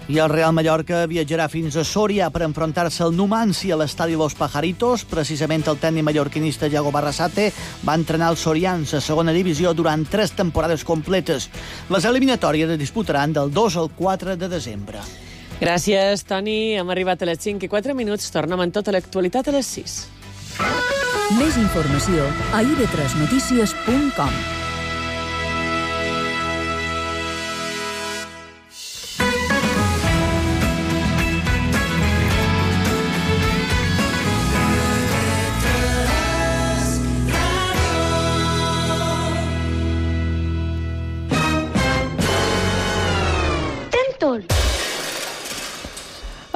I el Real Mallorca viatjarà fins a Sòria per enfrontar-se al Numancia a l'estadi Los Pajaritos. Precisament el tècnic mallorquinista Yago Barrasate va entrenar els sorians a segona divisió durant 3 temporades completes. Les eliminatòries es disputaran del 2 al 4 de desembre. Gràcies, Toni. Hem arribat a les 5:04. Tornem amb tota l'actualitat a les 6. Més informació a ib3notícies.com.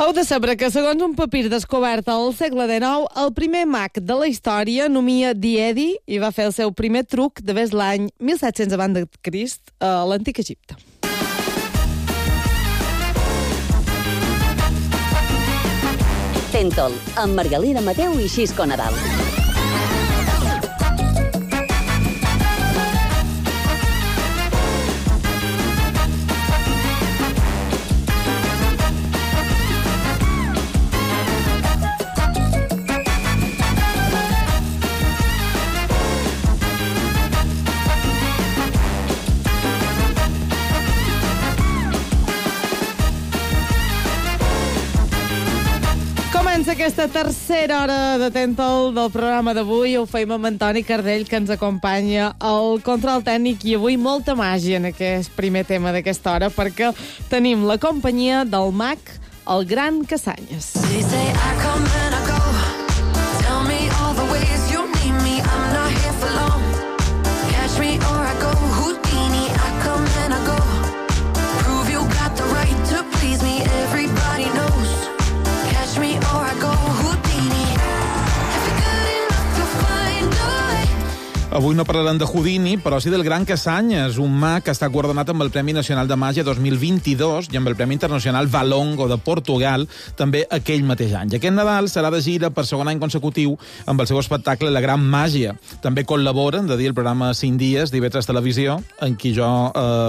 Heu de saber que, segons un papir descobert al segle XIX, el primer mag de la història, nomia Diedi, i va fer el seu primer truc de ves l'any 1700 abans de Crist a l'antic Egipte. Tentol, amb Margalida Mateu i Xisco Nadal. Aquesta tercera hora de Tentol del programa d'avui ho feim amb Antoni Cardell, que ens acompanya al control tècnic, i avui molta màgia en aquest primer tema d'aquesta hora, perquè tenim la companyia del mag, el Gran Casanyes. Avui no parlarem de Houdini, però sí del Gran Casanyes, un mag que està guardonat amb el Premi Nacional de Màgia 2022 i amb el Premi Internacional Valongo de Portugal també aquell mateix any. I aquest Nadal serà de gira per segon any consecutiu amb el seu espectacle La Gran Màgia. També col·laboren, de dir, el programa 5 dies d'IV3 Televisió, en qui jo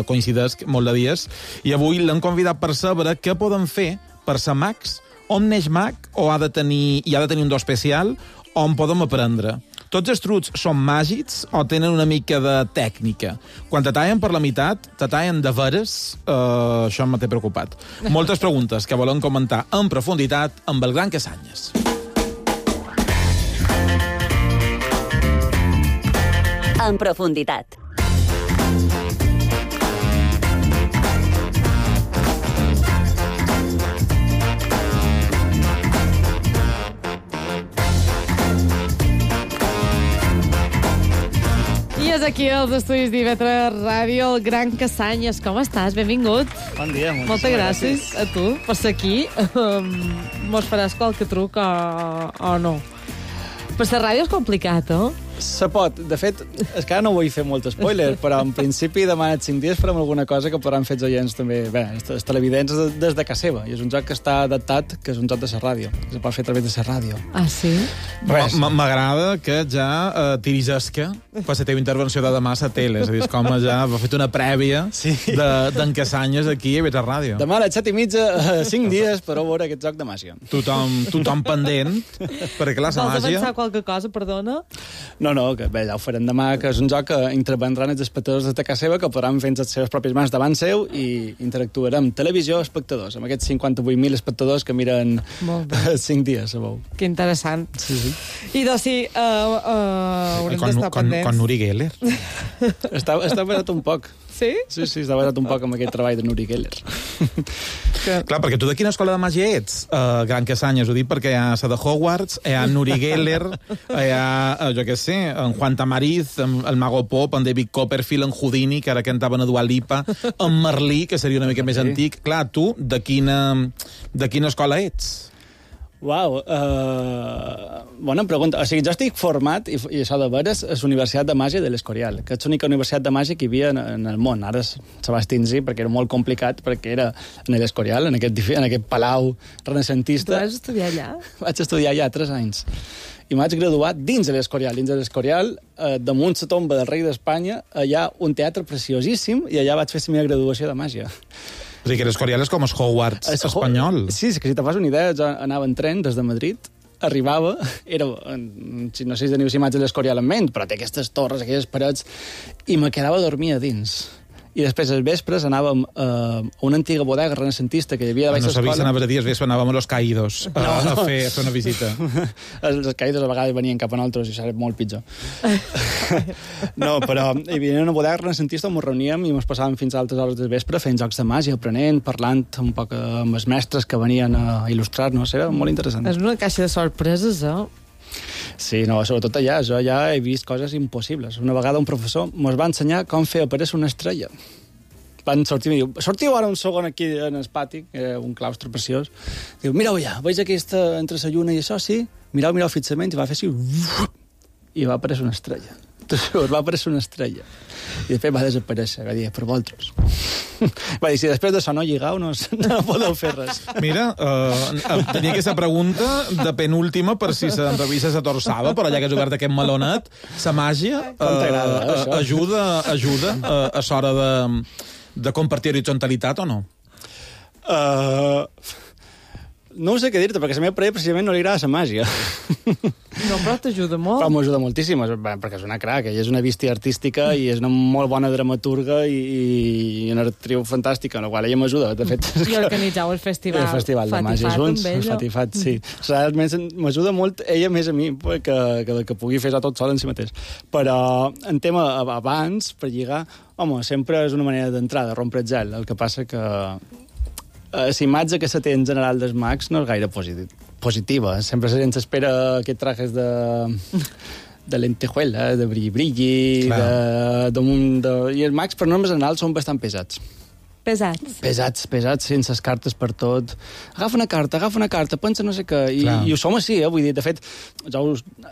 coincidesc molt de dies, i avui l'hem convidat per saber què poden fer per ser mags, on neix mag, o ha de tenir un do especial, on podem aprendre. Tots els trucs són màgics o tenen una mica de tècnica? Quan te tallen per la meitat, te tallen de veres, això m'ha preocupat. Moltes preguntes que volem comentar en profunditat amb el Gran Casanyes. En profunditat. És aquí als estudis d'IV3 Ràdio, el Gran Casanyes. Com estàs? Benvingut. Bon dia. Moltes gràcies a tu per ser aquí. Mos faràs qualque truc o no? Per ser ràdio és complicat, Se pot. De fet, és que ara no vull fer molt spoiler, però en principi demà en 5 dies farem alguna cosa que podran fer els oients també, els televidents des de casa seva. I és un joc que està adaptat, que és un joc de la ràdio. Es pot fer a través de la ràdio. Ah, sí? M'agrada que ja tiris esca per la teva intervenció de demà a la tele. És a dir, com ja va fet una prèvia d'en Casanyes aquí a IV3 Ràdio. Demà a les 7:30, 5 dies, per veure aquest joc de màgia. Tothom pendent, perquè clar, la màgia... Vols avançar qualque cosa, perdona? No, que bé, ja ho farem demà, que és un joc que intervendran els espectadors de casa seva, que podran fer les seves pròpies mans davant seu i interactuarem televisió espectadors, amb aquests 58.000 espectadors que miren 5 dies, sabeu. Que interessant. Sí. I doncs sí, haurem d'estar pendents. Con Uri Geller. Està basat un poc. Sí? Sí, està basat un poc amb aquest treball de Uri Geller. Clar, perquè tu de quina escola de màgia ets, Gran Casanyes? Ho dic perquè hi ha la de Hogwarts, hi ha Uri Geller, hi ha, jo què sé, en Juan Tamariz, el Mago Pop, en David Copperfield, en Houdini, que ara cantaven a Dua Lipa, en Merlí, que seria una mica més antic. Clar, tu, de quina escola ets? Uau, bona pregunta. O sigui, jo estic format, i això de veres, a la Universitat de Màgia de l'Escorial, que és l'única universitat de màgia que hi havia en el món. Ara se va extingir perquè era molt complicat, perquè era en l'Escorial, en aquest palau renaixentista. Tu vas estudiar allà? Vaig estudiar allà 3 anys. I m'haig graduat dins de l'Escorial. Dins de l'Escorial, damunt la tomba del rei d'Espanya, hi ha un teatre preciosíssim, i allà vaig fer la meva graduació de màgia. O sigui que l'Escorial és com el Hogwarts espanyol. Sí, és que si te fas una idea, jo anava en tren des de Madrid, arribava, no sé si teniu imatges de l'Escorial en ment, però té aquestes torres, aquelles parets, i me quedava a dormir a dins. I després, als vespres, anàvem a una antiga bodega renacentista que hi havia de baix l'escola. No sabia si anaves a dir, als vespres anàvem a Los Caídos a fer una visita. Els Caídos a vegades venien cap a nosaltres i serà molt pitjor. No, però hi havia una bodega renacentista on ens reuníem i ens passàvem fins a altres hores del vespre fent jocs de màgia, aprenent, parlant un poc amb els mestres que venien a il·lustrar-nos. Era molt interessant. És una caixa de sorpreses, Sí, no, sobretot allà. Jo ja he vist coses impossibles. Una vegada un professor ens va ensenyar com fer aparèixer una estrella. Van sortir i diu, sortiu ara un segon aquí en el pati, un claustre preciós. Diu, mireu ja, veig aquesta entre la lluna i això, sí? Mireu fixament, i va fer així, i va aparèixer una estrella. Va aparèixer una estrella. I després va desaparèixer, va dir, per vosaltres. Va dir, si després d'això no lligau, no podeu fer res. Mira, tenia aquesta pregunta de penúltima per si se'n revisa la torçada, però ja que has obert aquest melonet, la màgia ajuda a l'hora de compartir horitzonalitat o no? No ho sé què dir-te, perquè la meva parella precisament no li agrada la màgia. No, però t'ajuda molt. Però m'ajuda moltíssim, perquè és una crac, ella és una bístia artística i és una molt bona dramaturga i una actriu fantàstica, en la qual ella m'ajuda. De fet, I organitzau el festival. El festival de màgia junts, Fatifat, sí. Realment m'ajuda molt ella més a mi que pugui fer tot sol en si mateix. Però en tema abans, per lligar, home, sempre és una manera d'entrar, de rompre el gel. El que passa que la imatge que se té en general dels mags no és gaire positiva. Sempre la gent s'espera aquests trajes de lentejuela, de brilli-brilli, i els mags, per normes generals, són bastant pesats. Pesats, sense les cartes per tot. Agafa una carta, pensa no sé què. I ho som així, vull dir, de fet, jo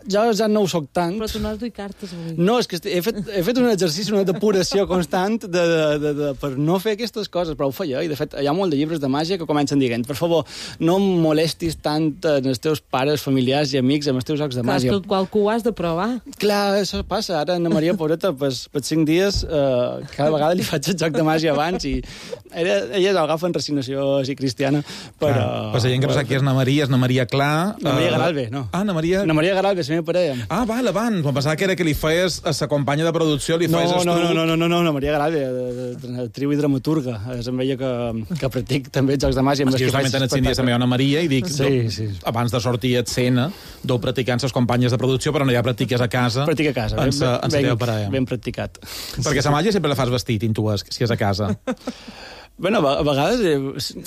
ja no ho soc tant. Però tu no has duit cartes, avui. No, és que he fet un exercici, una depuració constant per no fer aquestes coses, però ho feia, i de fet hi ha molt de llibres de màgia que comencen dient, per favor, no em molestis tant els teus pares, familiars i amics amb els teus jocs de màgia. Clar, qualcú ho has de provar. Clar, això passa. Ara Anna Maria, pobreta, per 5 dies, cada vegada li faig el joc de màgia abans i ella agafa en resignació així cristiana, però... Pues la gent que no sap qui és Anna Maria Clar... Anna Maria Garalbe, no. Anna Maria Garalbe, la meva parella. Vale, em pensava que era que li feies a sa companya de producció, li feies No, Anna Maria Garalbe, actriu i dramaturga. És amb ella que practic també jocs de màgia. És que justament en el dies també Anna Maria i dic, abans de sortir a escena, deu practicant les companyes de producció, però no ja practiques a casa. Practic a casa, ben practicat. Perquè la màgia sempre la fas vestit, intues, si és a casa. Bueno, a vegades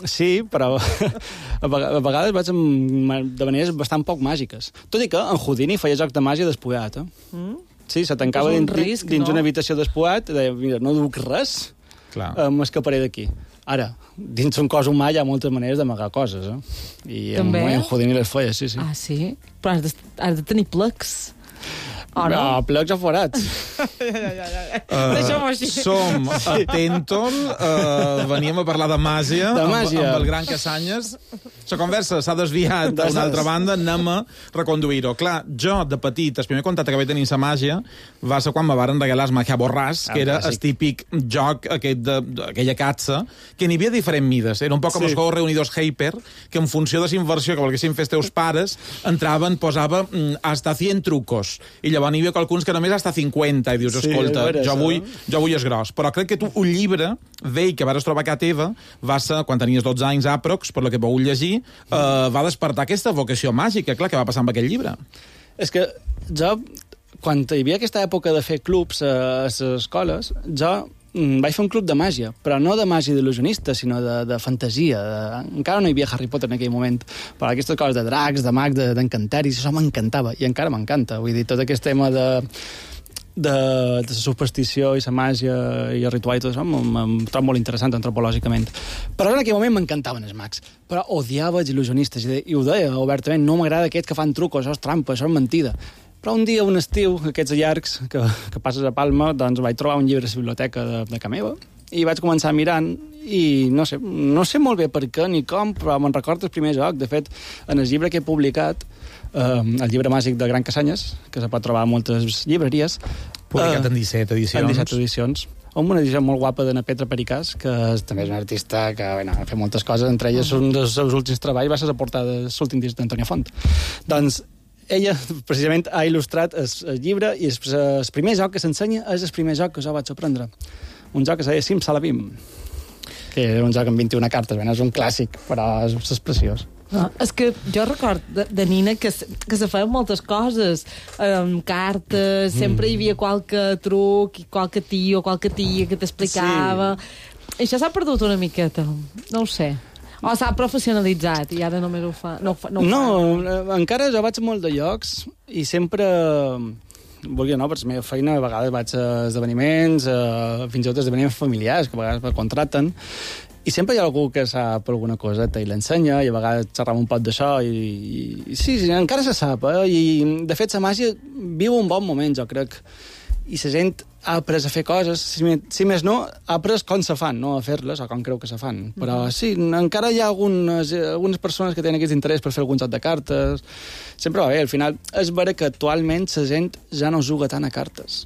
sí, però a vegades vaig de maneres bastant poc màgiques. Tot i que en Houdini feia jocs de màgia despullat, Sí, se tancava dins una habitació despullat i deia, mira, no duc res, m'escaparé d'aquí. Ara, dins un cos humà hi ha moltes maneres d'amagar coses, I en Houdini les feia, sí. Ah, sí? Però has de tenir plecs. No, plecs o forats. Deixem-ho així. Som a Tentol, veníem a parlar de màgia. Amb el gran Casanyes. La conversa s'ha desviat d'una altra banda, anem a reconduir-ho. Clar, jo, de petit, el primer contacte que vaig tenir amb la màgia va ser quan me varen regalar el Màgia Borràs, que era el típic joc aquella catxa, que n'hi havia diferents mides. Era un poc com els Juegos Reunidos Hyper, que en funció de la inversió que volguessin fer els teus pares, entraven, posava hasta 100 trucos. I llavors n'hi havia qualcuns que només hasta 50, i dius, escolta, jo vull és gros. Però crec que tu, un llibre vell que vas trobar a casa teva, va ser, quan tenies 12 anys àprox, per lo que vau llegir, va despertar aquesta vocació màgica, clar, que va passar amb aquell llibre. És que jo, quan hi havia aquesta època de fer clubs a les escoles, jo vaig fer un club de màgia, però no de màgia d'il·lusionista, sinó de fantasia. Encara no hi havia Harry Potter en aquell moment, però aquestes coses de dracs, de mags, d'encanteris, això m'encantava, i encara m'encanta. Vull dir, tot aquest tema de la superstició i la màgia i el ritual i tot això em trobo molt interessant antropològicament. Però en aquell moment m'encantaven els mags, però odiava els il·lusionistes, i ho deia obertament, no m'agrada aquests que fan trucos, això és trampa, això és mentida. Però un dia, un estiu, aquests llargs que passes a Palma, doncs vaig trobar un llibre a la biblioteca de casa meva i vaig començar mirant i no sé molt bé per què ni com, però me'n recordo el primer joc. De fet, en el llibre que he publicat, el llibre màgic del Gran Casanyes, que se pot trobar a moltes llibreries, Publicat en 17 edicions. En 17 edicions. Amb una edició molt guapa d'Anna Petra Pericàs, que també és una artista que ha fet moltes coses, entre elles un dels seus últims treballs va ser la portada de l'últim disc d'Antònia Font. Doncs ella, precisament, ha il·lustrat el llibre i el primer joc que s'ensenya és el primer joc que jo vaig aprendre. Un joc que se deia Simsalabim, que era un joc amb 21 cartes. Bé, és un clàssic, però és preciós. És que jo record de nina que se feien moltes coses, cartes, sempre hi havia qualque truc, qualque tio o qualque tia que t'explicava. Sí. I això s'ha perdut una miqueta, no ho sé. O s'ha professionalitzat i ara només ho fa. No, encara jo vaig a molt de llocs i sempre... Vulgui o no, per la meva feina, a vegades vaig a esdeveniments, fins i tot esdeveniments familiars, que a vegades me contracten, i sempre hi ha algú que sap alguna coseta i l'ensenya, i a vegades xerram un poc d'això, i sí, encara se sap, i de fet la màgia viu un bon moment, jo crec, i la gent ha après a fer coses, si més no, ha après com se fan, no a fer-les, o com creu que se fan. Però sí, encara hi ha algunes persones que tenen aquest interès per fer algun joc de cartes. Sempre va bé, al final és vera que actualment la gent ja no juga tant a cartes.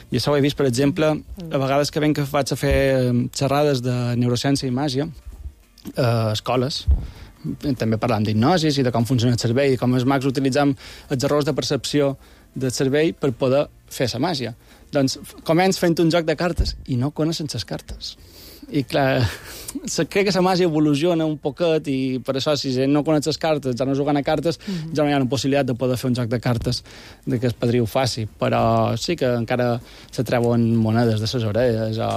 I això ho he vist, per exemple, a vegades que vaig a fer xerrades de neurociència i màgia a escoles, també parlant d'hipnosis i de com funciona el cervell, i com els mags utilitzem els errors de percepció del cervell per poder fer la màgia. Doncs començ fent un joc de cartes i no coneixen les cartes. I clar, crec que la màgia evoluciona un poquet i per això si gent no coneix les cartes, ja no juguen a cartes, ja no hi ha una possibilitat de poder fer un joc de cartes de que el padrí ho faci. Però sí que encara se treuen monedes de les orelles o...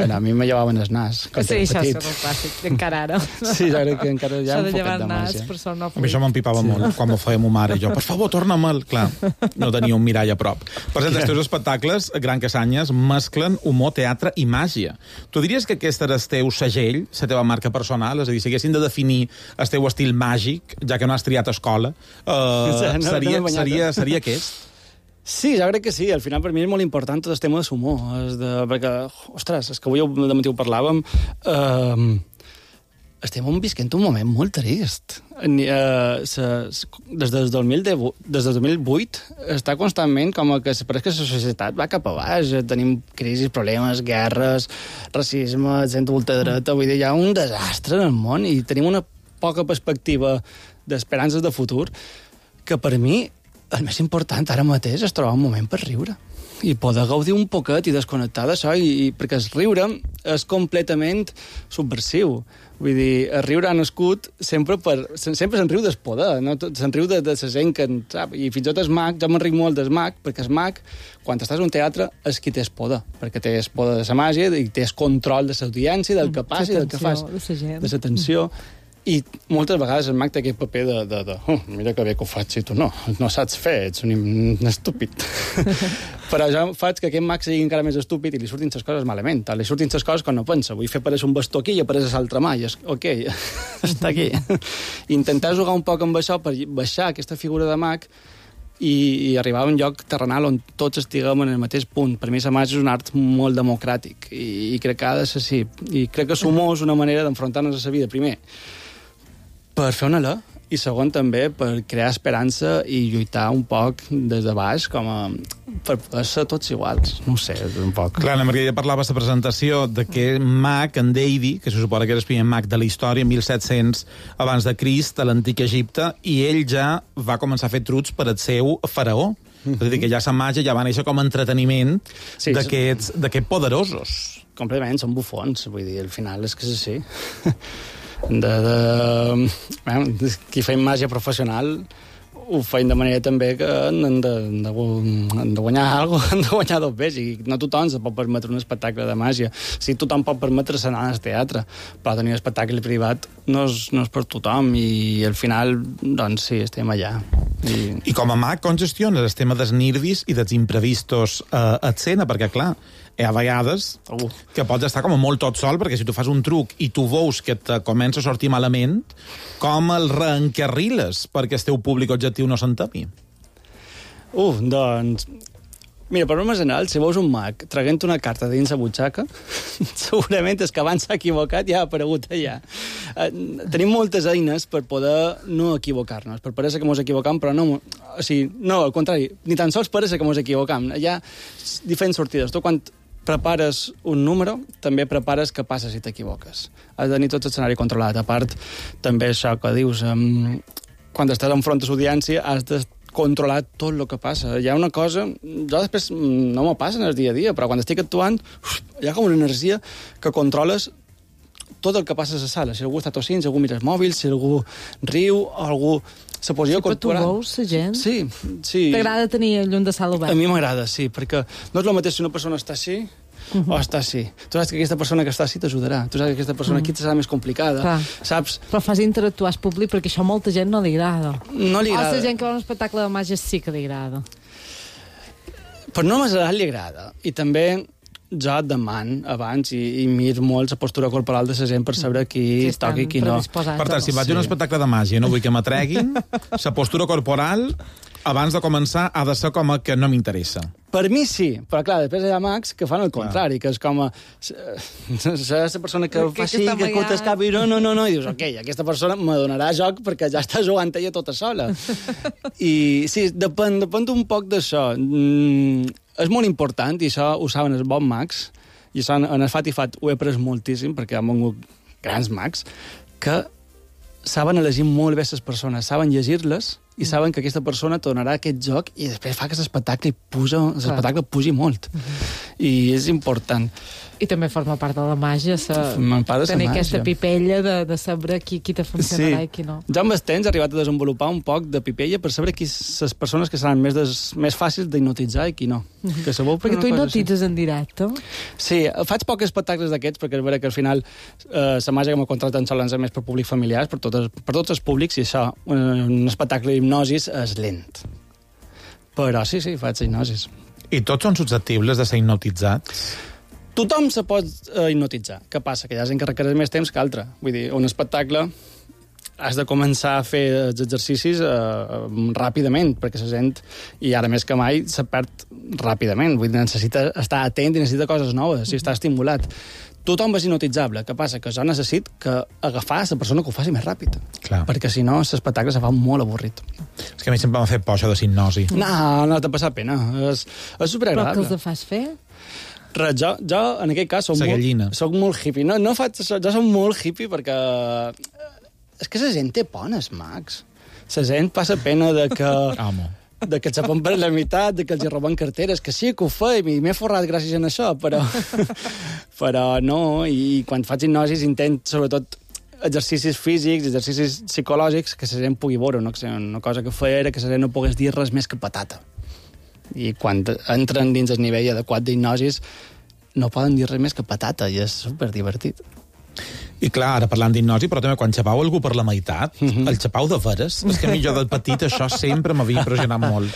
a mi me llevaven el nas. Sí, això és el clàssic, encara ara. Sí, jo crec que encara hi ha un poquet de màgia. màgia. A mi això m'empipava molt, quan m'ho feia ma mare. Jo, per favor, torna-me'l. Clar, no tenia un mirall a prop. Per cert, els teus espectacles, Gran Casanyes, mesclen humor, teatre i màgia. Tu diries que aquest era el teu segell, la teva marca personal? És a dir, si haguessin de definir el teu estil màgic, ja que no has triat escola, seria aquest? Sí, jo crec que sí. Al final, per mi és molt important tot el tema de l'humor. Perquè, ostres, és que avui al matí ho parlàvem... estem visquent un moment molt trist. Des del 2008 està constantment com que pareix que la societat va cap a baix. Tenim crisis, problemes, guerres, racisme, gent ultradreta. Vull dir, hi ha un desastre en el món i tenim una poca perspectiva d'esperances de futur que per mi el més important ara mateix és trobar un moment per riure i poder gaudir un poquet i desconnectar d'això, perquè el riure és completament subversiu. Vull dir, el riure ha nascut sempre se'n riu del poder, no? Se'n riu de la gent que en sap. I fins i tot el mag, jo me'n ric molt del mag, perquè el mag, quan estàs a un teatre, és qui té el poder, perquè té el poder de la màgia i té el control de l'audiència, del que passa i del que fas, de l'atenció. I moltes vegades el mag té aquest paper mira que bé que ho faig si tu no saps fer, ets un estúpid. Però jo faig que aquest mag sigui encara més estúpid i li surtin les coses malament. Li surtin les coses quan no pensa. Vull fer aparèixer un bastó aquí i apareix l'altra mà. I ok, està aquí. Intentar jugar un poc amb això per baixar aquesta figura de mag i arribar a un lloc terrenal on tots estiguem en el mateix punt. Per mi la màgia és un art molt democràtic i crec que ha de ser així. I crec que l'humor és una manera d'enfrontar-nos a la vida. Primer, per fer una alè, i segon també per crear esperança i lluitar un poc des de baix per ser tots iguals. No ho sé, un poc. Clar, la Margarida parlava a la presentació de que mag, en Deidi, que se suposa que era el primer mag de la història, 1700 abans de Crist, a l'antic Egipte, i ell ja va començar a fer trucs per al seu faraó. És a dir, que ja la màgia ja va néixer com a entreteniment d'aquests poderosos. Completament, són bufons, vull dir, al final és que és així. Qui feim màgia professional ho feim de manera també que han de guanyar alguna cosa, han de guanyar dos bes, i no tothom se pot permetre un espectacle de màgia. Sí, tothom pot permetre-se anar al teatre, però tenir un espectacle privat no és per tothom, i al final, doncs sí, estem allà. I com a mag, com gestiones el tema dels nervis i dels imprevistos a escena? Perquè, clar, hi ha vegades que pots estar com molt tot sol, perquè si tu fas un truc i tu veus que te comença a sortir malament, com el reencarriles perquè el teu públic objectiu no s'entemi? Doncs Mira, per norma general, si veus un mag traguent una carta dins la butxaca, segurament és que abans s'ha equivocat i ha aparegut allà. Tenim moltes eines per poder no equivocar-nos, per parèixer que mos equivocam, però no... O sigui, no, al contrari, ni tan sols parèixer que mos equivocam. Hi ha diferents sortides. Tu, quan prepares un número, també prepares què passa si t'equivoques. Has de tenir tot l'escenari controlat. A part, també això que dius, quan estàs enfront de l'audiència, has de controlar tot el que passa. Hi ha una cosa... Jo després no m'ho passa en el dia a dia, però quan estic actuant hi ha com una energia que controles tot el que passa a la sala. Si algú està tossint, si algú mira el mòbil, si algú riu, algú... La posició corporal... Però tu veus la gent? Sí. T'agrada tenir el llum de sala obert? A mi m'agrada, sí, perquè no és el mateix si una persona està així o està així. Tu saps que aquesta persona que està així t'ajudarà. Tu saps que aquesta persona aquí serà més complicada. Clar. Saps? Però fas interactuar al públic perquè això a molta gent no li agrada. No li agrada. O la gent que va a un espectacle de màgia sí que li agrada. Per norma general li agrada. I també jo deman abans i mir molt la postura corporal de la gent per saber qui toca i qui no. Per tant, si vaig a un espectacle de màgia i no vull que m'atreguin, la postura corporal abans de començar ha de ser com a que no m'interessa. Per mi sí, però clar, després hi ha mags que fan el contrari, que és com a... la persona que fa així, que escolta el cap i no, i dius, ok, aquesta persona me donarà joc perquè ja està jugant ella tota sola. I sí, depèn un poc d'això. És molt important, i això ho saben els bons mags, i això en el Fat i Fat ho he après moltíssim, perquè han vengut grans mags, que saben elegir molt bé les persones, saben llegir-les, i saben que aquesta persona te donarà aquest joc i després fa que l'espectacle pugi molt. I és important. I també forma part de la màgia, tenir aquesta pipella de saber qui te funcionarà i qui no. Jo amb el temps he arribat a desenvolupar un poc de pipella per saber les persones que seran més fàcils d'hipnotitzar i qui no. Perquè tu hipnotitzes en directe? Sí, faig pocs espectacles d'aquests perquè és vera que al final la màgia que m'ha contratat solen ser més per públic familiars, per tots els públics, i això, un espectacle d'hipnosis és lent. Però sí, faig hipnosis. I tots són susceptibles de ser hipnotitzats? Tothom se pot hipnotitzar. Què passa? Que hi ha gent que requereix més temps que altra. Vull dir, un espectacle has de començar a fer els exercicis ràpidament, perquè la gent, i ara més que mai, se perd ràpidament. Vull dir, necessita estar atent i necessita coses noves, i està estimulat. Tothom és hipnotitzable. Què passa? Que jo necessito agafar la persona que ho faci més ràpid. Clar. Perquè si no, l'espectacle se fa molt avorrit. És que a mi sempre m'ha fet por això de hipnosi. No t'ha passat pena. És superagradable. Però què els fas fer? Res, jo en aquest cas soc molt hippie. No faig això, jo soc molt hippie perquè... És que la gent té por als mags. La gent passa pena de que... de que s'apen per la meitat, de que els roben carteres, que sí que ho feim, i m'he forrat gràcies a això, però no, i quan faig hipnosis intent, sobretot, exercicis físics, exercicis psicològics, que la gent pugui veure. Una cosa que feia era que la gent no pogués dir res més que patata. I quan entren dins el nivell adequat d'hipnosis no poden dir res més que patata, i és superdivertit. I clar, ara parlant d'hipnosi, però també quan xapau algú per la meitat, el xapau de veres, és que a mi jo del petit això sempre m'havia impressionat molt.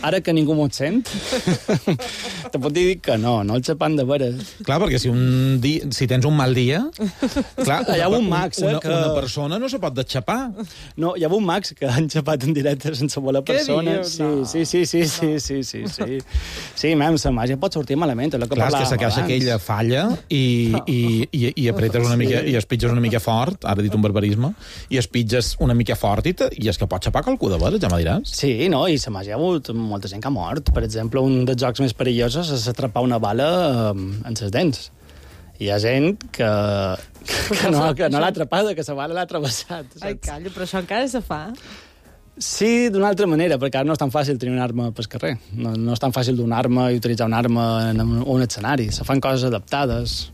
Ara que ningú m'ho sent, te pot dir que no el xapant de veres. Clar, perquè si tens un mal dia... Clar, hi ha un mags, una persona no se pot deixapar. No, hi ha un mags que han xapat en directe sense voler persona. Sí. Sí, la màgia pot sortir malament. Clar, és que la caixa aquella falla i apretes una mica, i espitges una mica fort, ara he dit un barbarisme, i espitges una mica fort i és que pot xapar qualcú de veres, ja me diràs. Sí, no, i la màgia ha hagut molta gent que ha mort. Per exemple, un dels jocs més perillosos és atrapar una bala en les dents. Hi ha gent que no l'ha atrapada, que la bala l'ha travessat. Ai, calla, però això encara se fa? Sí, d'una altra manera, perquè ara no és tan fàcil tenir una arma pel carrer. No és tan fàcil donar arma i utilitzar una arma en un escenari. Se fan coses adaptades.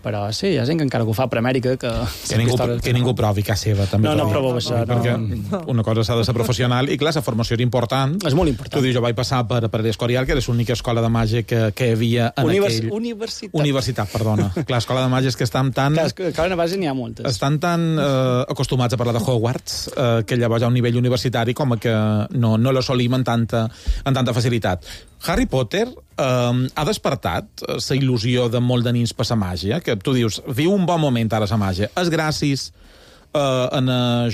Però sí, hi ha gent que encara que ho fa per Amèrica, que ningú provi que seva, també. No proveu això. Perquè una cosa s'ha de ser professional, i clar, la formació era important. És molt important. Tu dius, jo vaig passar per l'Escorial, que era l'única escola de màgia que hi havia en Universitat, perdona. Clar, escola de màgia és que estan tan... Clar, escola de màgia n'hi ha moltes. Estan tan acostumats a parlar de Hogwarts que llavors hi ha un nivell universitari com que no l'assolim amb tanta facilitat. Harry Potter ha despertat la il·lusió de molt de nins per la màgia, que tu dius, viu un bon moment ara la màgia. És gràcies a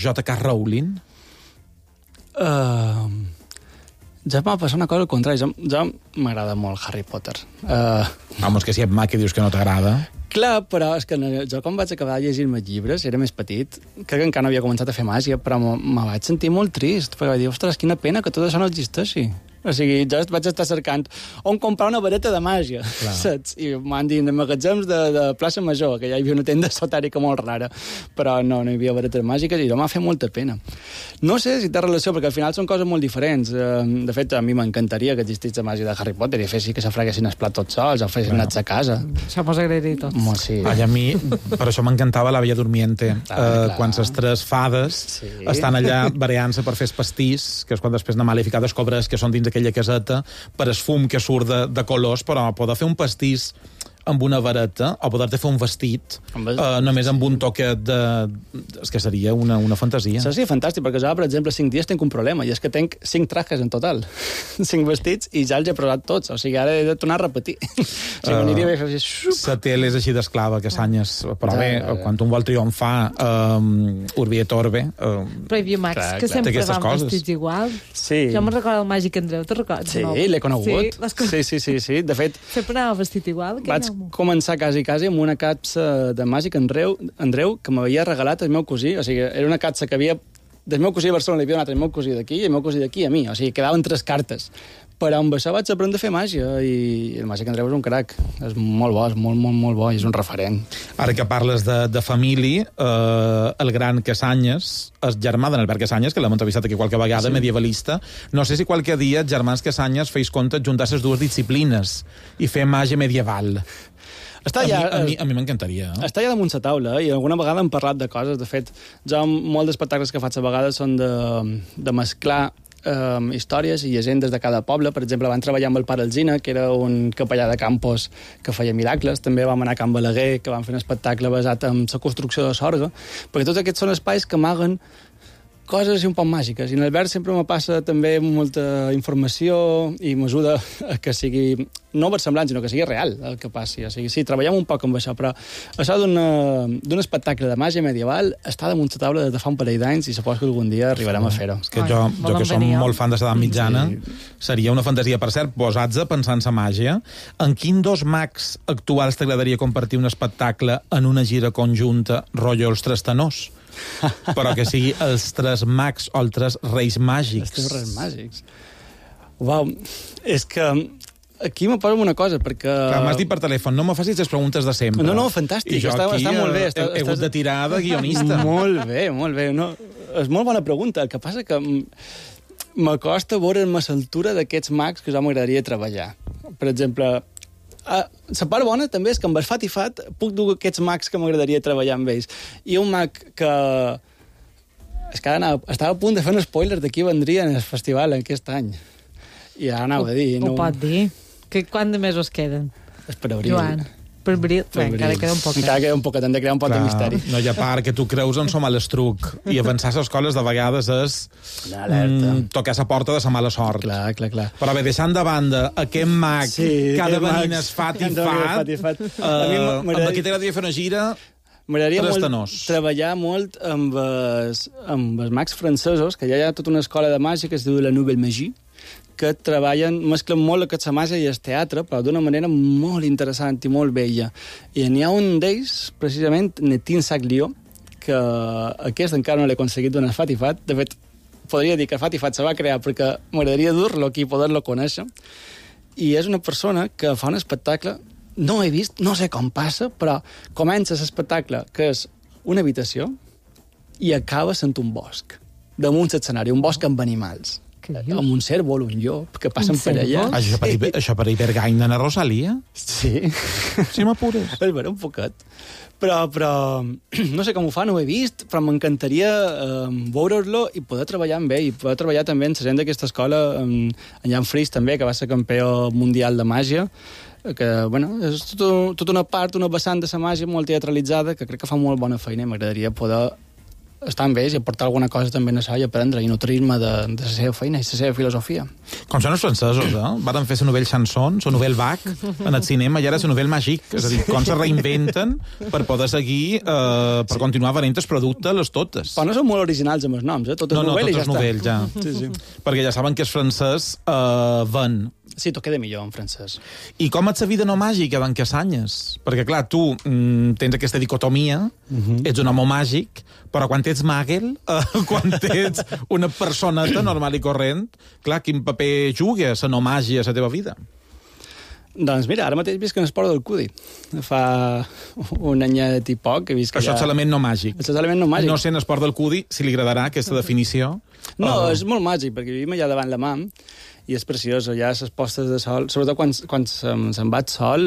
J.K. Rowling? Ja m'ha passat una cosa al contrari. Ja m'agrada molt Harry Potter. Home, és que si et mac i dius que no t'agrada... Clar, però és que jo quan vaig acabar de llegir-me llibres, era més petit, crec que encara no havia començat a fer màgia, però me vaig sentir molt trist, perquè vaig dir, ostres, quina pena que tot això no existeixi. O sigui, jo vaig estar cercant on comprar una vareta de màgia, saps? I m'han dit de magatzems de plaça Major, que ja hi havia una tenda esotèrica molt rara, però no hi havia varetes màgiques i això m'ha fet molta pena. No sé si té relació, perquè al final són coses molt diferents. De fet, a mi m'encantaria que existís la màgia de Harry Potter i fessin que se freguessin els plats tots sols o fessin anats a casa. Això mos agradaria tots. Sí. Ai, a mi, per això m'encantava la Bella Dormiente, quan les tres fades estan allà bareant-se per fer el pastís, que és quan després na Malèfica descobres que són dins aquella caseta, per el fum que surt de colors, però poder fer un pastís amb una vareta o poder-te fer un vestit només amb un toquet de... És que seria una fantasia. Sí, fantàstic, perquè jo, per exemple, 5 dies tinc un problema, i és que tinc 5 trajes en total. 5 vestits, i ja els he provat tots. O sigui, ara he de tornar a repetir. O sigui, m'aniria bé fer així... La tele és així d'esclava, que s'anyes. Però bé, quan un vol triomfar, Urbi et Orbe... Però hi havia mags que sempre van vestits igual. Sí. Jo me'n recordo el Màgic Andreu, te'n recordes? Sí, l'he conegut. Sí. De fet... Sempre anava vestit igual. Vaig començar quasi amb una capsa de Màgic Andreu que m'havia regalat el meu cosí. O sigui, era una capsa que havia... Del meu cosí a Barcelona li havia donat el meu cosí d'aquí i el meu cosí d'aquí a mi. O sigui, quedaven 3 cartes. Però amb això vaig aprendre a fer màgia i el Màgic Andreu és un crac. És molt bo, és molt bo i és un referent. Ara que parles de família, el gran Casanyes, el germà d'en Albert Casanyes, que l'hem entrevistat aquí qualque vegada, medievalista, no sé si qualque dia els germans Casanyes feis compte juntar les dues disciplines i fer màgia medieval. A mi m'encantaria. Està ja damunt la taula i alguna vegada hem parlat de coses. De fet, jo molts d'espectacles que faig a vegades són de mesclar històries i llegendes de cada poble. Per exemple, vam treballar amb el pare Alzina, que era un capellà de Campos que feia miracles. També vam anar a Can Balaguer, que vam fer un espectacle basat en la construcció de Sorga, perquè tots aquests són espais que amaguen coses un poc màgiques. I en Albert sempre me passa també molta informació i m'ajuda a que sigui no versemblant, sinó que sigui real el que passi. O sigui, sí, treballem un poc amb això, però això d'un espectacle de màgia medieval està damunt la taula des de fa un parell d'anys i suposo que algun dia arribarem a fer-ho. És que jo que som molt fan de l'edat mitjana, seria una fantasia, per cert, posats a pensar en la màgia. En quin dos mags actuals t'agradaria compartir un espectacle en una gira conjunta, rotllo els tres tenors? Però que sigui els tres mags o els tres reis màgics. Els tres reis màgics. Uau, és que aquí me poso una cosa, perquè... Clar, m'has dit per telèfon, no me facis les preguntes de sempre. No, fantàstic, I jo està molt bé. He hagut de tirar de guionista. Molt bé. No, és molt bona pregunta. El que passa que m'acosta veure'm a l'altura d'aquests mags que jo m'agradaria treballar. Per exemple... La part bona també és que amb el Fat i Fat puc dur aquests mags que m'agradaria treballar amb ells. I un mag que... És que estava a punt de fer un spoiler de qui vendria en el festival aquest any. I ara anava a dir... Ho pot dir. Quant de mesos queden? És per abril. Joan, per abril. Encara queda un poc. Encara queda un poc, hem de crear un poc de misteri. No hi ha part que tu creus en som a l'estruc i avançar a les escoles de vegades és tocar la porta de la mala sort. Clar. Però bé, deixant de banda aquest mag que ha de venir en Fat i Fat, amb qui t'agradaria fer una gira... M'agradaria treballar molt amb els mags francesos, que ja hi ha tota una escola de màgia que es diu la Nouvelle Magie, que mesclen molt aquesta màgia i el teatre, però d'una manera molt interessant i molt bella. I n'hi ha un d'ells, precisament, Netin Saglió, que aquest encara no l'he aconseguit donar Fat i Fat. De fet, podria dir que Fat i Fat se va crear perquè m'agradaria dur-lo aquí i poder-lo conèixer. I és una persona que fa un espectacle, no he vist, no sé com passa, però comença l'espectacle, que és una habitació, i acaba sent un bosc, damunt l'escenari, un bosc amb animals. Amb un cérvol, un llop, que passen per allà. Això per Ibergain de Rosalia? Sí. Sí, m'apures. És vera, un poquet. Però no sé com ho fa, no ho he vist, però m'encantaria veure-lo i poder treballar amb ell, i poder treballar també en la gent d'aquesta escola, en Jan Fries també, que va ser campió mundial de màgia, que, bueno, és tota una part, una vessant de la màgia molt teatralitzada, que crec que fa molt bona feina i m'agradaria poder estar amb ells i aportar alguna cosa també en això i aprendre i nutrir-me de la seva feina i la seva filosofia. Com són els francesos, Varen fer la novel·la Chanson, la novel·la Bach, en el cinema, i ara la novel·la Magique. És a dir, com se reinventen per poder seguir, per continuar venent el producte, les totes. Però no són molt originals amb els noms, Totes novel·les ja està. No, totes novel·les, ja. Perquè ja saben que és francès ven. Sí, t'ho queda millor en francès. I com és la vida no màgica d'en Casanyes? Perquè, clar, tu tens aquesta dicotomia, ets un home màgic, però quan ets màgel, quan ets una personeta normal i corrent, clar, quin paper juga la no màgia a la teva vida? Doncs mira, ara mateix visc en esport del cudi. Fa un anyet i poc que visc allà... Això és l'element no màgic. Això és l'element no màgic. No sé en esport del cudi si li agradarà aquesta definició. No, és molt màgic, perquè vivim allà davant la mà i és preciós, allà les postes de sol, sobretot quan se'n va el sol,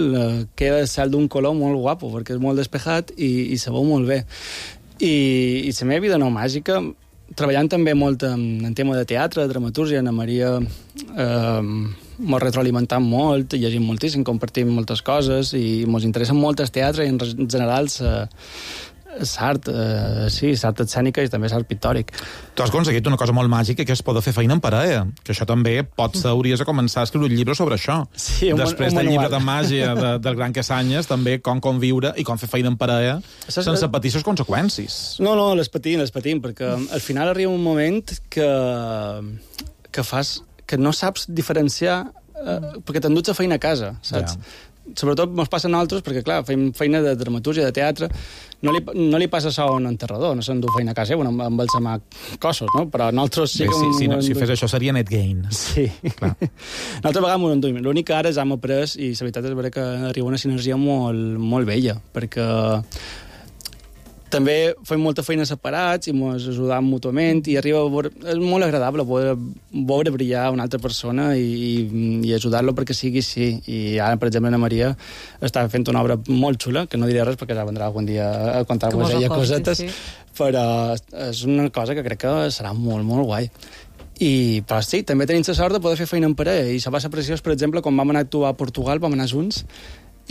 queda el cel d'un color molt guapo, perquè és molt despejat i se veu molt bé. I la meva vida no màgica, treballant també molt en tema de teatre, de dramatúrgia, Ana Maria m'ho retroalimentant molt, llegim moltíssim, compartim moltes coses i ens interessa molt el teatre i en general l'art, l'art escènica i també l'art pictòric. Tu has aconseguit una cosa molt màgica, que és poder fer feina en parella, que això també potser hauries de començar a escriure un llibre sobre això. Sí, després del llibre de màgia del Gran Casanyes, també com conviure i com fer feina en parella sense patir les conseqüències. No, les patim, perquè al final arriba un moment que no saps diferenciar perquè t'enduts a feina a casa, saps? Ja. Sobretot ens passa a nosaltres, perquè, clar, fem feina de dramatúrgia, de teatre, no li passa això a un enterrador, no s'endú feina a casa seva, amb els cossos, no? Però nosaltres sí que... Si fes això seria net gain. Sí. Clar. Nosaltres a vegades m'ho enduim. L'únic que ara hem après, i la veritat és que arriba una sinergia molt, molt bella, perquè també fem molta feina separats i ens ajudam mútuament i és molt agradable poder veure brillar una altra persona i ajudar-lo perquè sigui així. I ara, per exemple, Ana Maria està fent una obra molt xula, que no diré res perquè ja vendrà algun dia a contar-vos ella cosetes, però és una cosa que crec que serà molt, molt guai. Però sí, també tenim la sort de poder fer feina en parella i se va ser preciós, per exemple, quan vam anar a actuar a Portugal, vam anar junts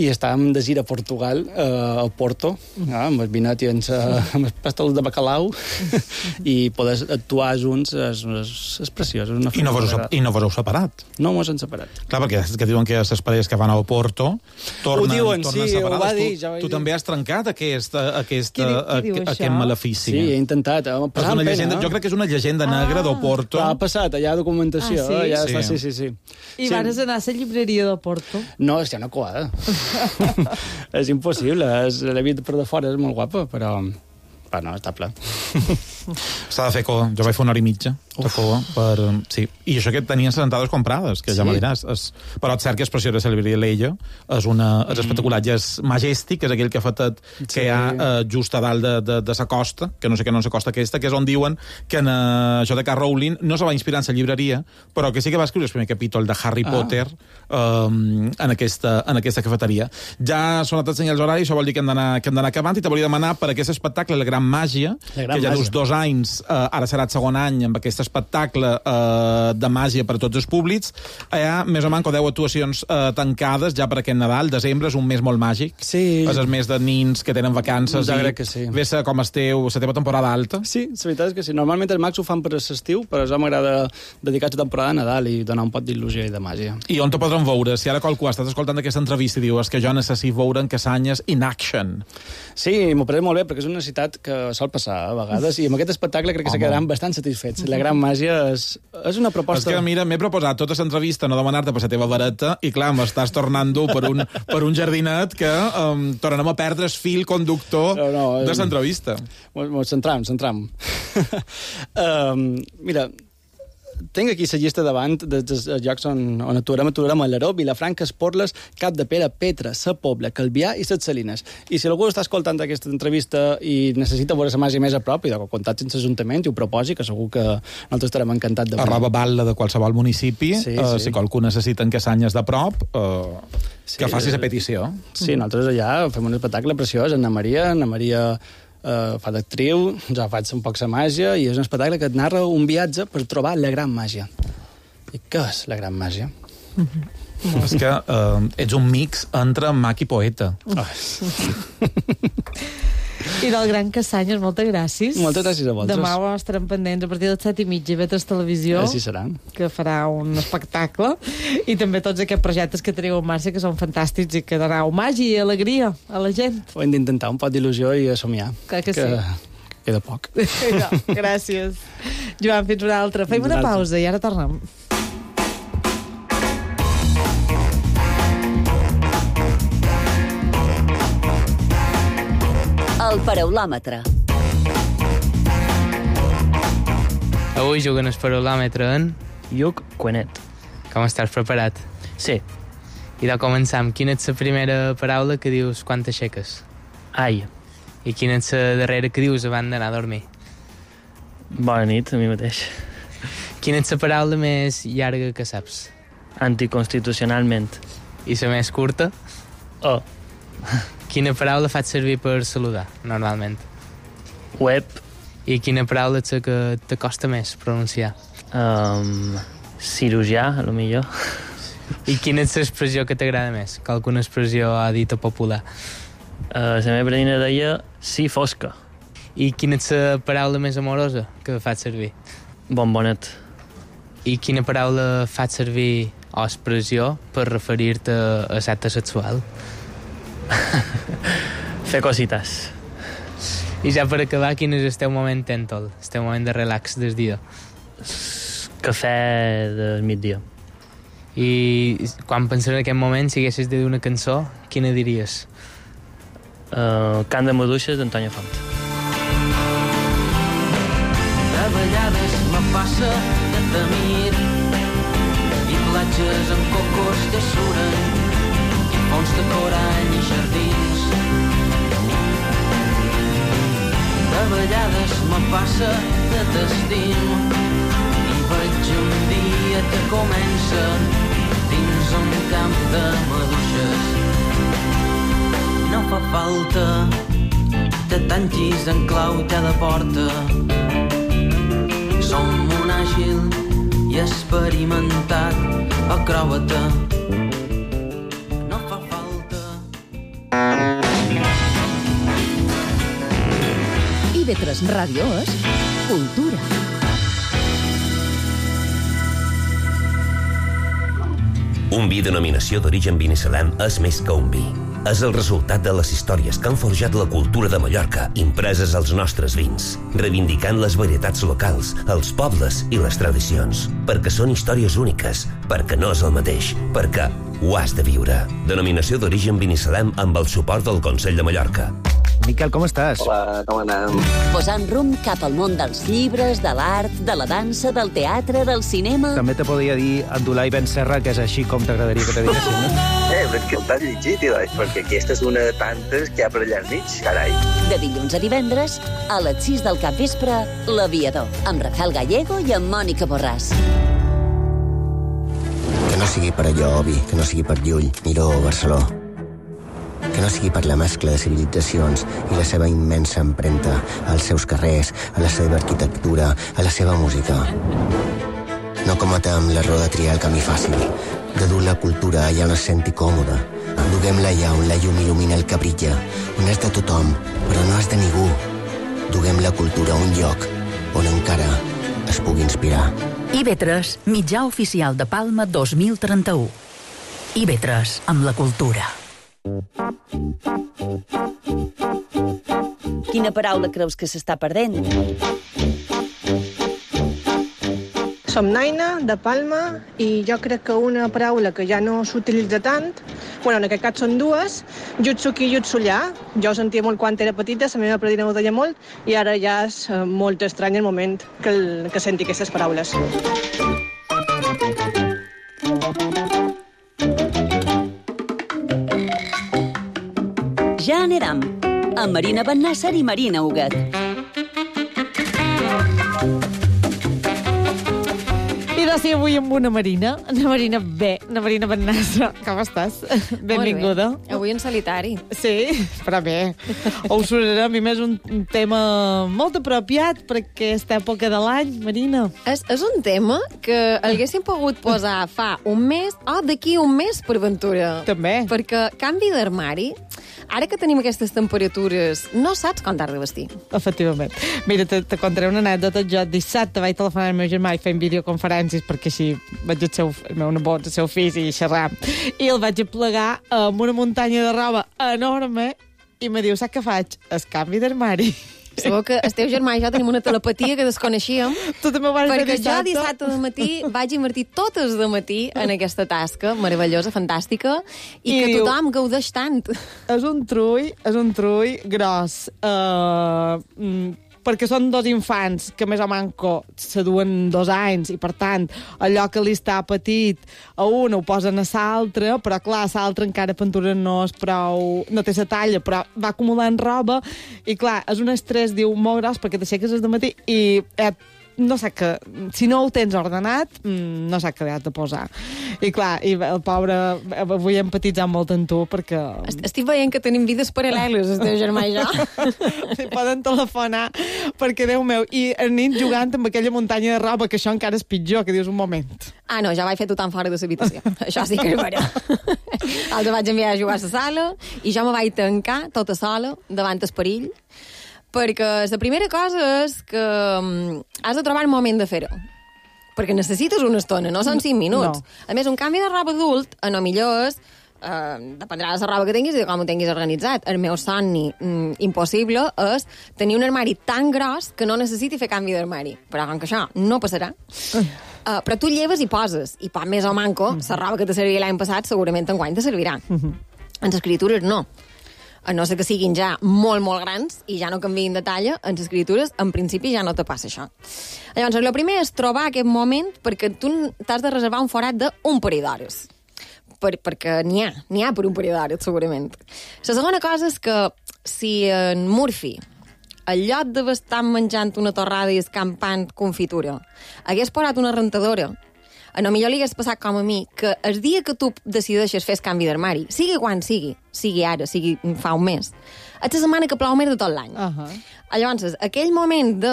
i estàvem de gira a Portugal, a Porto, amb el vinet i amb els pastels de bacalau, i poder actuar junts és preciós. I no vos heu separat? No mos hem separat. Clar, perquè que diuen que les parelles que van a Porto tornen separades. Ho va dir. Tu també has trencat aquest malefici. Sí, he intentat. Jo crec que és una llegenda negra d'Oporto. Ha passat, allà ha documentació. Sí. I vas anar a la llibreria d'Oporto? No, és ja una coada. És impossible, l'he vist per de fora, és molt guapa, però no, està ple. S'ha de fer cua, jo vaig fer una hora i mitja de cua, sí. I això que tenien les entrades comprades, que ja me diràs. Però és cert que és preciós de celebrar l'Ella, és espectacular, ja és Majestic, que és aquell que ha fet que hi ha just a dalt de sa costa, que no sé què no és la costa aquesta, que és on diuen que això de K. Rowling no se va inspirar en la llibreria, però que sí que va escriure el primer capítol de Harry Potter en aquesta cafeteria. Ja són els senyals horaris, això vol dir que hem d'anar acabant, i te volia demanar per aquest espectacle, La Gran Màgia, que ja dus 2 anys, ara serà el segon any amb aquest espectacle de màgia per a tots els públics. Hi ha més o menys 10 actuacions tancades ja per aquest Nadal. Desembre és un mes molt màgic. Sí. És el mes de nins que tenen vacances. Ja crec que sí. Ves com esteu, la teva temporada alta. Sí, la veritat és que sí. Normalment els mags ho fan per l'estiu, però a mi m'agrada dedicar la temporada a Nadal i donar un pot d'il·lusió i de màgia. I on te podran veure? Si ara qualcú ha estat escoltant aquesta entrevista i diu que jo necessito veure en Casanyes in action. Sí, m'ho pareix molt bé, perquè és una necessitat que sol passar a vegades, i amb aquest espectacle crec que se quedaran bastant satisfets. La Gran Màgia és una proposta... És que, mira, m'he proposat tota l'entrevista no demanar-te per la teva vareta i, clar, m'estàs tornant dur per un jardinet que tornem a perdre el fil conductor de l'entrevista. Ens centram. Mira, tinc aquí la llista davant dels llocs on aturem a Alaró, Vilafranca, Esporles, Cap de Pere, Petra, Sa Pobla, Calvià i Ses Salines. I si algú està escoltant aquesta entrevista i necessita veure la màgia més a prop, i de contacti amb l'Ajuntament i ho proposi, que segur que nosaltres estarem encantats de veure. @batlle de qualsevol municipi, si qualcú necessita en Casanyes de prop, que faci la petició. Sí, nosaltres allà fem un espectacle preciós, Ana Maria fa d'actriu, ja faig un poc la màgia, i és un espectacle que et narra un viatge per trobar la gran màgia. I què és la gran màgia? És que ets un mix entre mag i poeta. I del Gran Cassanyes, moltes gràcies. Moltes gràcies a vosaltres. Demà ho estarem pendents a partir de les 7:30 a Vetres Televisió. Així serà. Que farà un espectacle. I també tots aquests projectes que teniu en marxa, que són fantàstics i que doneu màgia i alegria a la gent. Ho hem d'intentar, un pot d'il·lusió i a somiar. Clar que sí. Queda poc. No, gràcies. Joan, fins una altra. Fem una pausa i ara tornem. El paraulòmetre. Avui juguen el paraulòmetre en... Lluc Cuenet. Com estàs preparat? Sí. I de començar, quina és la primera paraula que dius quan t'aixeques? Ai. I quina és la darrera que dius abans d'anar a dormir? Bona nit, a mi mateix. Quina és la paraula més llarga que saps? Anticonstitucionalment. I la més curta? Oh. Quina paraula faig servir per saludar, normalment? Web. I quina paraula és la que t'acosta més pronunciar? Cirurgià, a lo millor. I quina és l'expressió que t'agrada més? Que alguna expressió ha dit a popular? La meva nina deia sí fosca. I quina és la paraula més amorosa que faig servir? Bombonet. I quina paraula faig servir o expressió per referir-te a acte sexual? Fer cosites. I ja per acabar, quin és el teu moment tèntol, el teu moment de relax del dia? Cafè del migdia. I quan penses en aquest moment, si haguessis de dir una cançó, quina diries? Cant de maduixes d'Antònia Font. De vegades me passa de temir i platges amb cocos que suren i ponts de corall i jardins. De vegades me passa de t'estim i veig un dia que comença dins un camp de maduixes. No fa falta que tanquis en clau cada porta. Som un àgil i experimentat acròbata. No fa falta. IB3 Ràdio és cultura. Un vi denominació d'origen binissalem és més que un vi. És el resultat de les històries que han forjat la cultura de Mallorca impreses als nostres vins, reivindicant les varietats locals, els pobles i les tradicions. Perquè són històries úniques, perquè no és el mateix, perquè ho has de viure. Denominació d'origen binissalem amb el suport del Consell de Mallorca. Miquel, com estàs? Hola, com anem? Posant rumb cap al món dels llibres, de l'art, de la dansa, del teatre, del cinema... També te podria dir Abdulai Ben Serra, que és així com t'agradaria que te diguessin, no? Però que t'has llegit, perquè aquesta és una de tantes que hi ha per allà al mig, carai. De dilluns a divendres, a les 6 del capvespre, L'Aviador, amb Rafael Gallego i amb Mònica Borràs. Que no sigui per allò, Obi, que no sigui per Llull, Miró o Barceló. Que no sigui per la mescla de civilitzacions i la seva immensa empremta als seus carrers, a la seva arquitectura, a la seva música. No cometem l'error de triar el camí fàcil, de dur la cultura allà on es senti còmoda. Duguem-la allà on la llum il·lumina el que brilla, on és de tothom, però no és de ningú. Duguem la cultura a un lloc on encara es pugui inspirar. IB3, mitjà oficial de Palma 2031. IB3, amb la cultura. Quina paraula creus que s'està perdent? Som Naina, de Palma, i jo crec que una paraula que ja no s'utilitza tant, en aquest cas són dues, jutsuki i jutsullà. Jo ho sentia molt quan era petita, la meva predina ho deia molt, i ara ja és molt estrany el moment que senti aquestes paraules. Ja anirem, amb Marina Bennàsser i Marina Huguet. I Gràcies avui amb una Marina. Una Marina bé, una Marina Bennassa. Com estàs? Benvinguda. Bé. Avui en solitari. Sí, però bé. Ho sonarem, i més un tema molt apropiat per aquesta època de l'any, Marina. És un tema que haguéssim pogut posar fa un mes o d'aquí un mes per ventura. També. Perquè canvi d'armari, ara que tenim aquestes temperatures, no saps com t'has de vestir. Efectivament. Mira, te contaré una anècdota. Jo dissabte vaig telefonar al meu germà i fent videoconferències perquè així vaig al meu nebot, al seu fill, i xerrar. I el vaig aplegar amb una muntanya de roba enorme i me diu, saps què faig? El canvi d'armari. Sabeu que el teu germà i jo tenim una telepatia que desconeixíem. Tu també ho vas fer perquè dissabte. Jo dissabte de matí vaig invertir totes de matí en aquesta tasca meravellosa, fantàstica, i que tothom gaudeix tant. És un trull gros. Perquè són dos infants que més o manco se duen 2 anys i, per tant, allò que li està petit a un ho posen a l'altre, però, clar, l'altre encara pintura no és prou... no té la talla, però va acumulant roba i, clar, és un estrès, diu, molt gros perquè t'aixeques des de matí i no sé que... Si no ho tens ordenat, no sé què has de posar. I, clar, i el pobre... Avui hem empatitzat molt en tu perquè... Estic veient que tenim vides paral·leles, el teu germà i jo. Si poden telefonar, perquè, Déu meu, i a nit jugant amb aquella muntanya de roba, que això encara és pitjor, que dius un moment. Ah, no, ja vaig fer tothom fora de l'habitació. Això sí que és vera. El vaig enviar a jugar a la sala i jo me vaig tancar tota sola davant el perill, perquè la primera cosa és que has de trobar el moment de fer-ho. Perquè necessites una estona, no són 5 minuts. No. A més, un canvi de roba adult, a no millor és... dependrà de la roba que tinguis i de com ho tinguis organitzat. El meu somni impossible és tenir un armari tan gros que no necessiti fer canvi d'armari. Però com que això no passarà... però tu lleves i poses, i per més o manco, la roba que te servia l'any passat segurament enguany te servirà. En les escritures no. A no ser que siguin ja molt, molt grans i ja no canviïn de talla, en les escritures, en principi, ja no te passa això. Llavors, el primer és trobar aquest moment perquè tu t'has de reservar un forat d'un parell d'hores. Perquè n'hi ha per un parell d'hores, segurament. La segona cosa és que si en Murphy, al lloc d'estar menjant una torrada i escampant confitura, hagués posat una rentadora, a no millor li hagués passat com a mi, que el dia que tu decideixes fer el canvi d'armari, sigui quan sigui ara, sigui fa un mes, és la setmana que plou més de tot l'any. Llavors, aquell moment de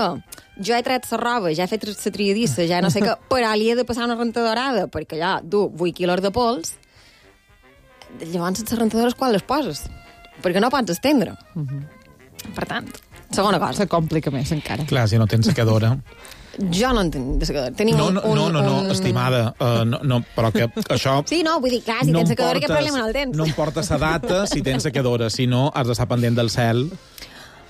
jo he tret la roba, ja he fet la triadissa, ja no sé què, però li he de passar una rentadorada, perquè ja du 8 quilos de pols, llavors les rentadores quan les poses? Perquè no pots estendre. Per tant, segona cosa. Se complica més encara. Clar, si no tens secadora... Jo no en tinc de secadora. No, estimada, no, però que això... Sí, no, vull dir, clar, si tens secadora, què problema no el tens? No importa la data si tens secadora, si no, has d'estar pendent del cel.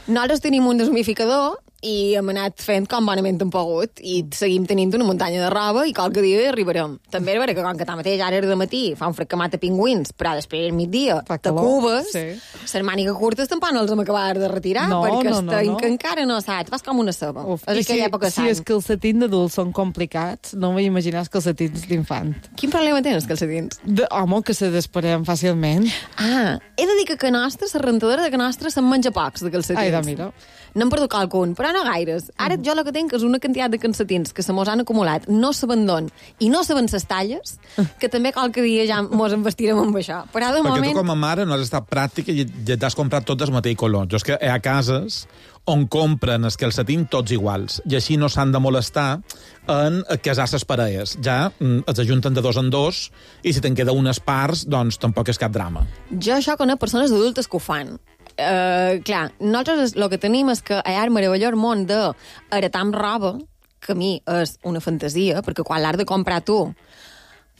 Nosaltres tenim un deshumidificador i hem anat fent com bonament hem pogut i seguim tenint una muntanya de roba i qualque dia hi arribarem. També és vera que com que tanmateix ara era de matí, fa un fred que mata pingüins, però després al migdia te cubes, les mànigues curtes tampoc no els hem acabat de retirar perquè encara no saps, fas com una ceba. És aquella època si els calcetins d'adults són complicats, no vull imaginar els calcetins d'infant. Quin problema tenen els calcetins? Home, que se desparem fàcilment. He de dir que la rentadora de Nostra se'n menja pocs de calcetins. Ai, mira. N'hem perdut qualcun, però no gaires. Ara jo el que tinc és una quantitat de calcetins que se mos han acumulat, no s'abandonen i no saben ses talles, que també qualque dia ja mos en vestirem amb això. Però de moment... Perquè tu com a mare no has estat pràctica i ja t'has comprat tots del mateix color. Jo és que hi ha cases on compren els calcetins tots iguals i així no s'han de molestar en casar les parelles. Ja els ajunten de 2 en 2 i si te'n queda unes parts, doncs tampoc és cap drama. Jo això conec persones adultes que ho fan. Clar, nosaltres el que tenim és que hi ha el meravellós món d'heretar amb roba, que a mi és una fantasia, perquè quan l'has de comprar tu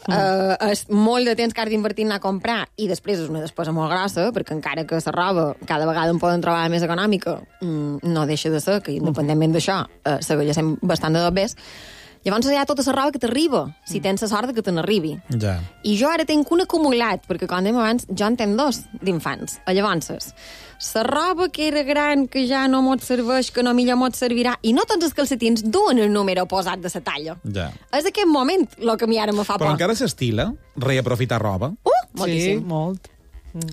és molt de temps que has d'invertir a comprar i després és una despesa molt grossa, perquè encara que la roba cada vegada en poden trobar més econòmica, no deixa de ser que independentment d'això segueix sent bastant de dobbers. Llavors hi ha tota la roba que t'arriba, si tens la sort que te n'arribi. Ja. I jo ara tinc un acumulat, perquè com dèiem abans, jo en tenc 2 d'infants. Llavors, la roba que era gran, que ja no mos serveix, que no millor mos servirà, i no tots els calcetins duen el número posat de la talla. Ja. És aquest moment el que a mi ara me fa por. Però encara s'estila reaprofitar roba? Sí, molt.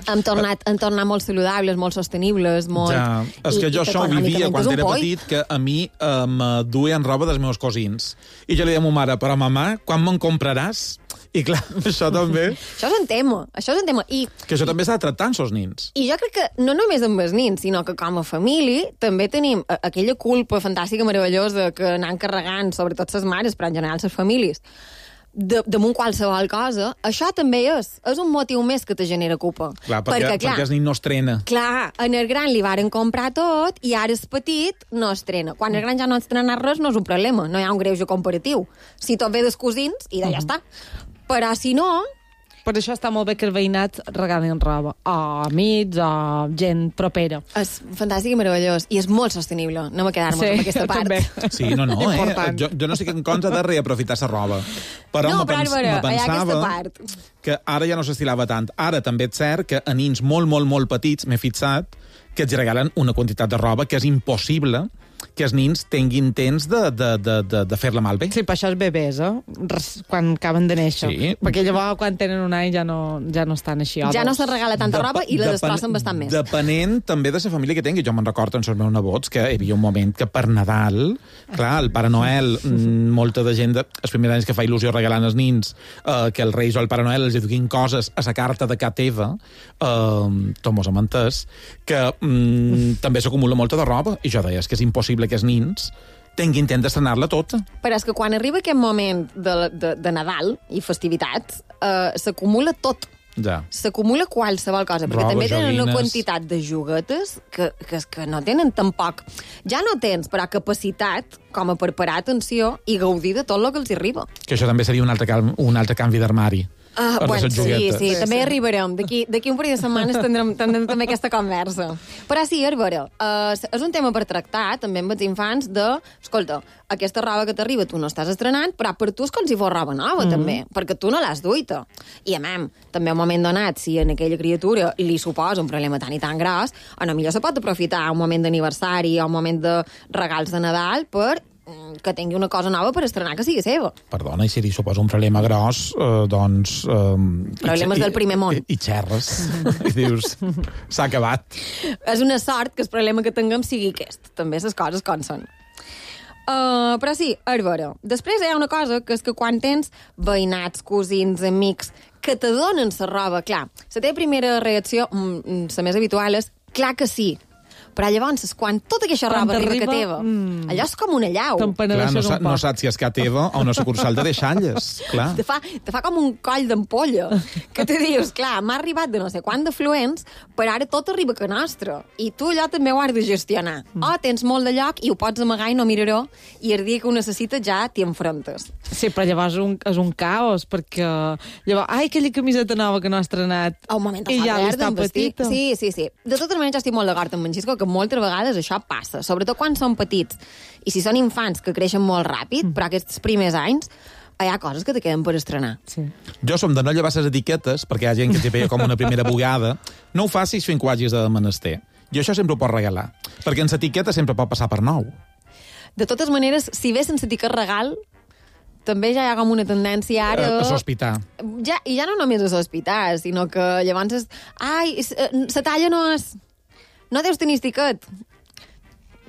Hem tornat molt saludables, molt sostenibles, molt... Ja, és que jo això ho vivia quan era petit, que a mi me duien roba dels meus cosins. I jo li deia a ma mare, però mamà, quan me'n compraràs? I clar, això també... Això és un tema. I que això també s'ha de tractar amb els nins. I jo crec que no només amb els nins, sinó que com a família també tenim aquella culpa fantàstica, meravellosa, que anem carregant, sobretot les mares, però en general les famílies, damunt qualsevol cosa. Això també és un motiu més que te genera culpa. Clar, perquè el nin no estrena. Clar, en el gran li varen comprar tot i ara el petit no estrena. Quan el gran ja no estrena res no és un problema, no hi ha un greuge comparatiu. Si tot ve dels cosins, i ja està. Però si no... Per això està molt bé que el veïnat regalin roba a amics, a gent propera. És fantàstic i meravellós. I és molt sostenible. No me quedar-me amb aquesta part. També. Sí, no. Jo no sé què en contra de reaprofitar la roba. Però me pensava que ara ja no s'estilava tant. Ara també és cert que a nins molt, molt, molt petits m'he fixat que els regalen una quantitat de roba que és impossible que els nins tinguin temps de fer-la malbé. Sí, per això els bebès, quan acaben de néixer. Sí. Perquè llavors, quan tenen un any, ja no estan així. Ja no se regala tanta roba i la destrossen bastant més. Depenent també de la família que tingui. Jo me'n recordo amb els meus nebots que hi havia un moment que per Nadal, clar, el Pare Noel, molta de gent, els primers anys que fa il·lusió regalant als nins, que els Reis o el Pare Noel els duguin coses a la carta de ca teva, tot mos hem entès, que també s'acumula molta de roba. I jo deia, és que és impossible que els nins tinguin temps d'estrenar-la tota. Però és que quan arriba aquest moment de Nadal i festivitats, s'acumula tot. Ja. S'acumula qualsevol cosa, perquè també tenen una quantitat de juguetes que no tenen tampoc. Ja no tens, però capacitat com a per parar atenció i gaudir de tot el que els arriba. Que això també seria un altre canvi d'armari. Bueno, sí, també arribarem. D'aquí un parell de setmanes tindrem també aquesta conversa. Però sí, Arbara, és un tema per tractar, també amb els infants, escolta, aquesta roba que t'arriba tu no estàs estrenant, però per tu és com si fos roba nova, també, perquè tu no l'has duita. I, també a un moment donat, si a aquella criatura li suposa un problema tan i tan gros, potser se pot aprofitar un moment d'aniversari o un moment de regals de Nadal per que tingui una cosa nova per estrenar que sigui seva. Perdona, i si li suposa un problema gros, doncs... Problemes del primer món. I xerres. I dius, s'ha acabat. És una sort que el problema que tinguem sigui aquest. També les coses com són. Però sí, Arbara, després hi ha una cosa, que és que quan tens veïnats, cosins, amics, que te donen la roba, clar, la teva primera reacció, la més habitual, és clar que sí. Però llavors, quan tota aquesta roba arriba que teva, allò és com una llau. Clar, no saps si és que teva o una sucursal de deixalles, clar. Te fa com un coll d'ampolla, que te dius, clar, m'ha arribat de no sé quant d'afluents, però ara tot arriba que nostre. I tu allò també ho has de gestionar. O tens molt de lloc i ho pots amagar i no miraró, i el dia que ho necessites ja t'hi enfrontes. Sí, però llavors és un caos, perquè llavors, aquella camiseta nova que no has estrenat, i ja està petita. Sí. De totes maneres, jo estic molt d'acord amb en Xisco, que moltes vegades això passa, sobretot quan són petits. I si són infants que creixen molt ràpid, però aquests primers anys hi ha coses que te queden per estrenar. Sí. Jo som de no llevar les etiquetes, perquè hi ha gent que t'hi veia com una primera bugada. No ho facis fins que ho hagis de menester. I això sempre ho pots regalar, perquè en l'etiqueta sempre pot passar per nou. De totes maneres, si ve sense etiquet regal, també ja hi ha com una tendència ara... A sospitar. I ja no només a sospitar, sinó que llavors la talla no és... No deus tenir estiquet.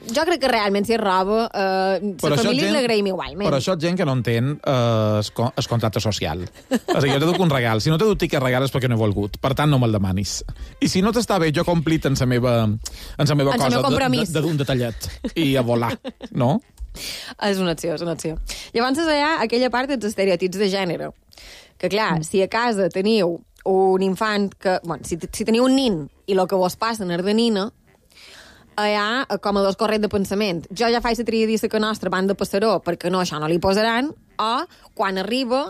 Jo crec que realment si és roba, la família l'agraïm igualment. Però això és gent que no entén el contracte social. És a dir, jo t'he dut un regal. Si no t'he dut tiquet regal és perquè no he volgut. Per tant, no me'l demanis. I si no t'està bé, jo complit en la meva cosa d'un detallet. I a volar, no? És una opció. Llavors hi ha aquella part dels estereotips de gènere. Que clar, si a casa teniu un infant que... Bueno, si teniu un nin i el que vos passa és de nina, hi ha com a dos corrents de pensament. Jo ja faig la triadissa que nostra van de passaró perquè no, això no li posaran, o quan arriba,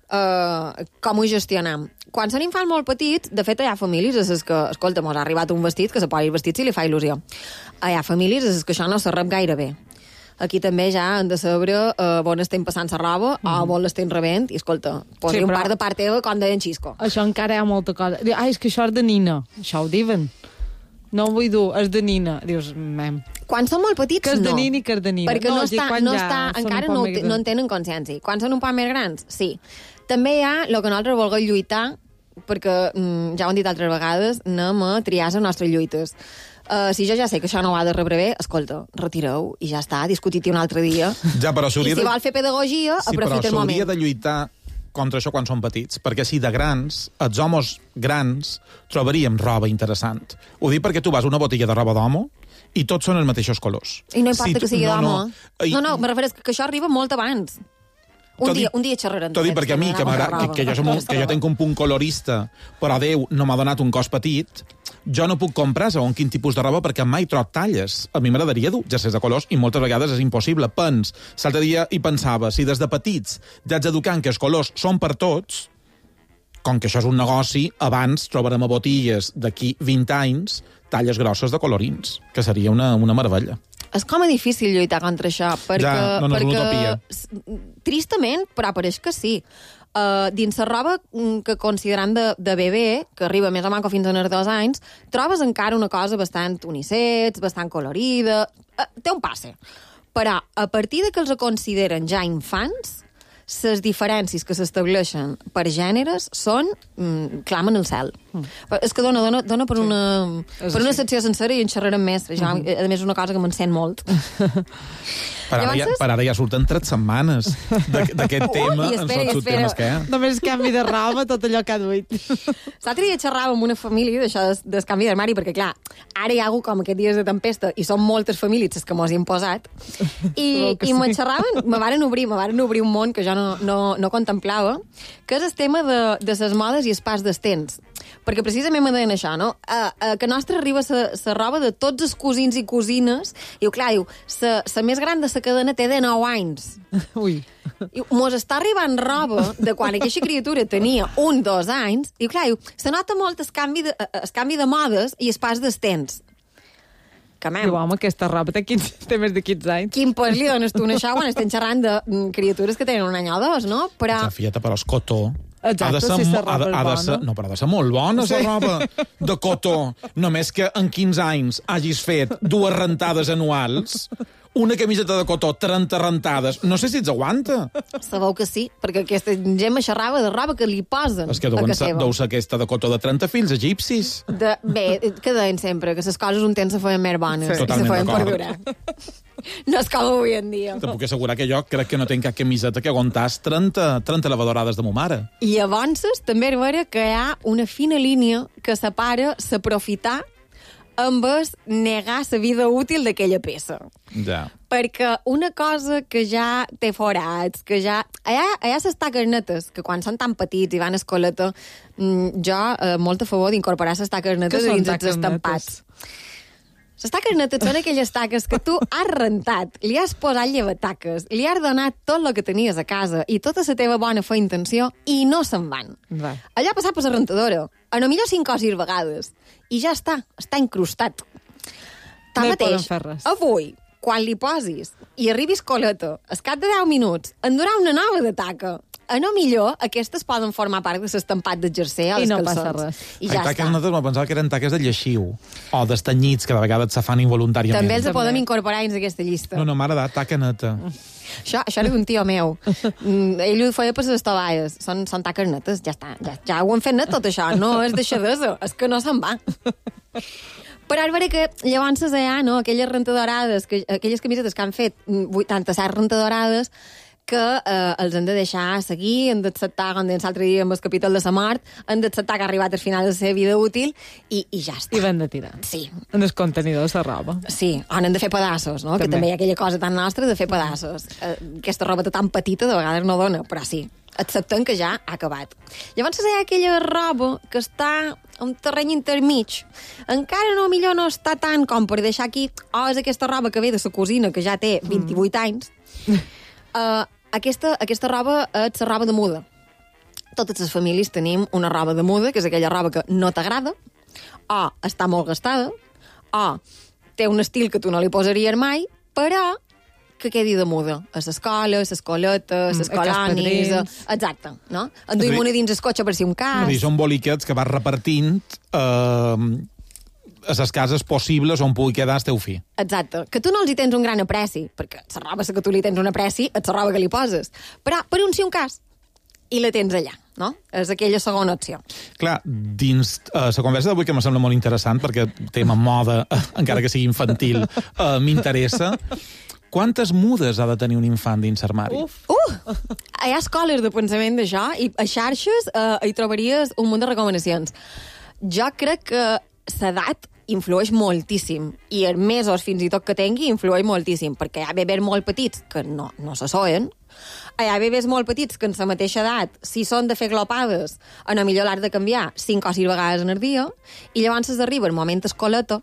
com ho gestionam. Quan són infants molt petits, de fet hi ha famílies a les que, escolta, mos ha arribat un vestit que se posi el vestit si li fa il·lusió. Hi ha famílies a les que això no se rep gaire bé. Aquí també ja han de saber on estem passant la roba o on l'estem rebent i, escolta, posi un par de part teva com deia en Xisco. Això encara hi ha molta cosa. És que això és de nina. Això ho diuen. No ho vull dur, és de nina. Dius, quan són molt petits, que és de nina i que és de nina. Perquè encara no en tenen consciència. Quan són un poc més grans, sí. També hi ha el que nosaltres volguem lluitar, perquè, ja ho han dit altres vegades, anem a triar les nostres lluites. Si jo ja sé que això no ho ha de rebre bé, escolta, retireu i ja està, discutit-hi un altre dia. Ja, però I si vol fer pedagogia, aprofita el moment. S'hauria de lluitar contra això quan són petits, perquè si de grans, els homes grans, trobaríem roba interessant. Ho dic perquè tu vas a una botiga de roba d'homo i tots són els mateixos colors. I no importa que sigui d'home. No, me refereix que això arriba molt abans. Un dia xerrarem. T'ho dic perquè a mi, que jo tinc un punt colorista, però Déu no m'ha donat un cos petit, jo no puc comprar segons quin tipus de roba perquè mai trob talles. A mi m'agradaria dur jerseis de colors i moltes vegades és impossible. L'altre dia hi pensava, si des de petits ja ets educant que els colors són per tots, com que això és un negoci, abans trobarem a botilles d'aquí 20 anys talles grosses de colorins, que seria una meravella. És com a difícil lluitar contra això, perquè... Ja, no és una utopia. Tristament, però pareix que sí. Dins la roba que considerant de bebè, que arriba més o manco fins a 2 anys, trobes encara una cosa bastant unisex, bastant colorida... Té un passe. Però a partir de que els consideren ja infants, les diferències que s'estableixen per gèneres són... clamen el cel. És que dona per una secció sencera i en xerrarem més. Ja, a més, és una cosa que m'encén molt. Per ara ja surten 3 setmanes d'aquest tema. En tots temes que hi ha. Només canvi de roba, tot allò que ha duit. L'altre dia xerrava amb una família d'això del canvi d'armari, perquè, clar, ara hi ha hagut com aquests dies de tempesta i són moltes famílies les que mos hi han posat. I me xerraven, me varen obrir un món que jo no contemplava, que és el tema de les modes i els pas dels temps. Perquè precisament me deien això, no? Que nostra arriba la roba de tots els cosins i cosines, i clar, la més gran de la cadena té de 9 anys. Ui. Mos està arribant roba de quan aquesta criatura tenia 1-2 anys, i clar, se nota molt el canvi de modes i el pas dels temps. Diu, home, aquesta roba té més de 15 anys. Quin pes li dones tu a això quan estem xerrant de criatures que tenen 1 any o 2, no? Però... Fieta, però és cotó. Exacte, si la roba és bona. No, però ha de ser molt bona, la roba de cotó. Només que en 15 anys hagis fet 2 rentades anuals, una camiseta de cotó, 30 rentades. No sé si ets aguanta. Sabeu que sí, perquè aquesta gent me xerrava de roba que li posen és que deu ser aquesta de cotó de 30 fills egipcis. Bé, que deien sempre, que les coses un temps se feien més bones. Sí. Totalment se feien per durar. No és com avui en dia. Te puc assegurar que jo crec que no tinc cap camiseta que aguantàs 30 lavadorades de mo mare. I avances també és vera que hi ha una fina línia que separa s'aprofitar amb el negar la vida útil d'aquella peça. Ja. Perquè una cosa que ja té forats, que ja... Allà les taques netes, que quan són tan petits i van a escoleta, jo molt a favor d'incorporar les taques netes dins els estampats. Les taques netes són aquelles taques que tu has rentat, li has posat llevataques, li has donat tot el que tenies a casa i tota la teva bona fe intenció i no se'n van. Va. Allà ha passat per la rentadora, a no millor 5 o 6 vegades, i ja està incrustat. Tanmateix, avui, quan li posis i arribis coleta, al cap de 10 minuts, en durà una nova de taca. A no millor, aquestes poden formar part de l'estampat del jersei o dels calçons. I no passa res. I ja taques nosaltres me pensava que eren taques de lleixiu o d'estanyits, que de vegades se fan involuntàriament. També els podem incorporar dins d'aquesta llista. No, m'ha agradat, taca neta. Això era d'un tio meu. Ell ho feia per les tovalles. Són taques netes, ja està. Ja ho han fet net tot això. No és deixadesa, és que no se'n va. Però és vera que llavors hi ha, no, aquelles rentadorades, aquelles camisetes que han fet 87 rentadorades, que els han de deixar seguir, han d'acceptar, com dèiem l'altre dia amb el capítol de la mort, han d'acceptar que ha arribat al final de la seva vida útil i ja està. I van de tirar. Sí. En els contenidors de roba. Sí, on han de fer pedassos, no? Que també hi ha aquella cosa tan nostra de fer pedassos. Aquesta roba tan petita de vegades no dona, però sí, acceptem que ja ha acabat. Llavors hi ha aquella roba que està a un terreny intermig. Encara millor no està tant com per deixar aquí, és aquesta roba que ve de la cosina, que ja té 28 anys. Aquesta roba és la roba de muda. Totes les famílies tenim una roba de muda, que és aquella roba que no t'agrada, o està molt gastada, o té un estil que tu no li posaries mai, però que quedi de muda. A l'escola, a l'escoleta, a les colònies... Exacte, no? Enduim una dins el cotxe per si un cas... Són boliquets que vas repartint a les cases possibles on pugui quedar el teu fill. Exacte. Que tu no els hi tens un gran apreci, perquè la roba que tu li tens un apreci és la roba que li poses. Però per un sí un cas. i la tens allà, no? És aquella segona opció. Clar, dins la conversa d'avui, que me sembla molt interessant, perquè el tema moda, encara que sigui infantil, m'interessa. Quantes mudes ha de tenir un infant dins l'armari? Hi ha escoles de pensament d'això i a xarxes hi trobaries un munt de recomanacions. Jo crec que l'edat influeix moltíssim i els mesos fins i tot que tingui influeix moltíssim, perquè hi ha bebès molt petits que no s'assoen, hi ha bebès molt petits que en la mateixa edat, si són de fer glopades, a lo millor l'has de canviar 5 o 6 vegades en el dia, i llavors arriba el moment escoleta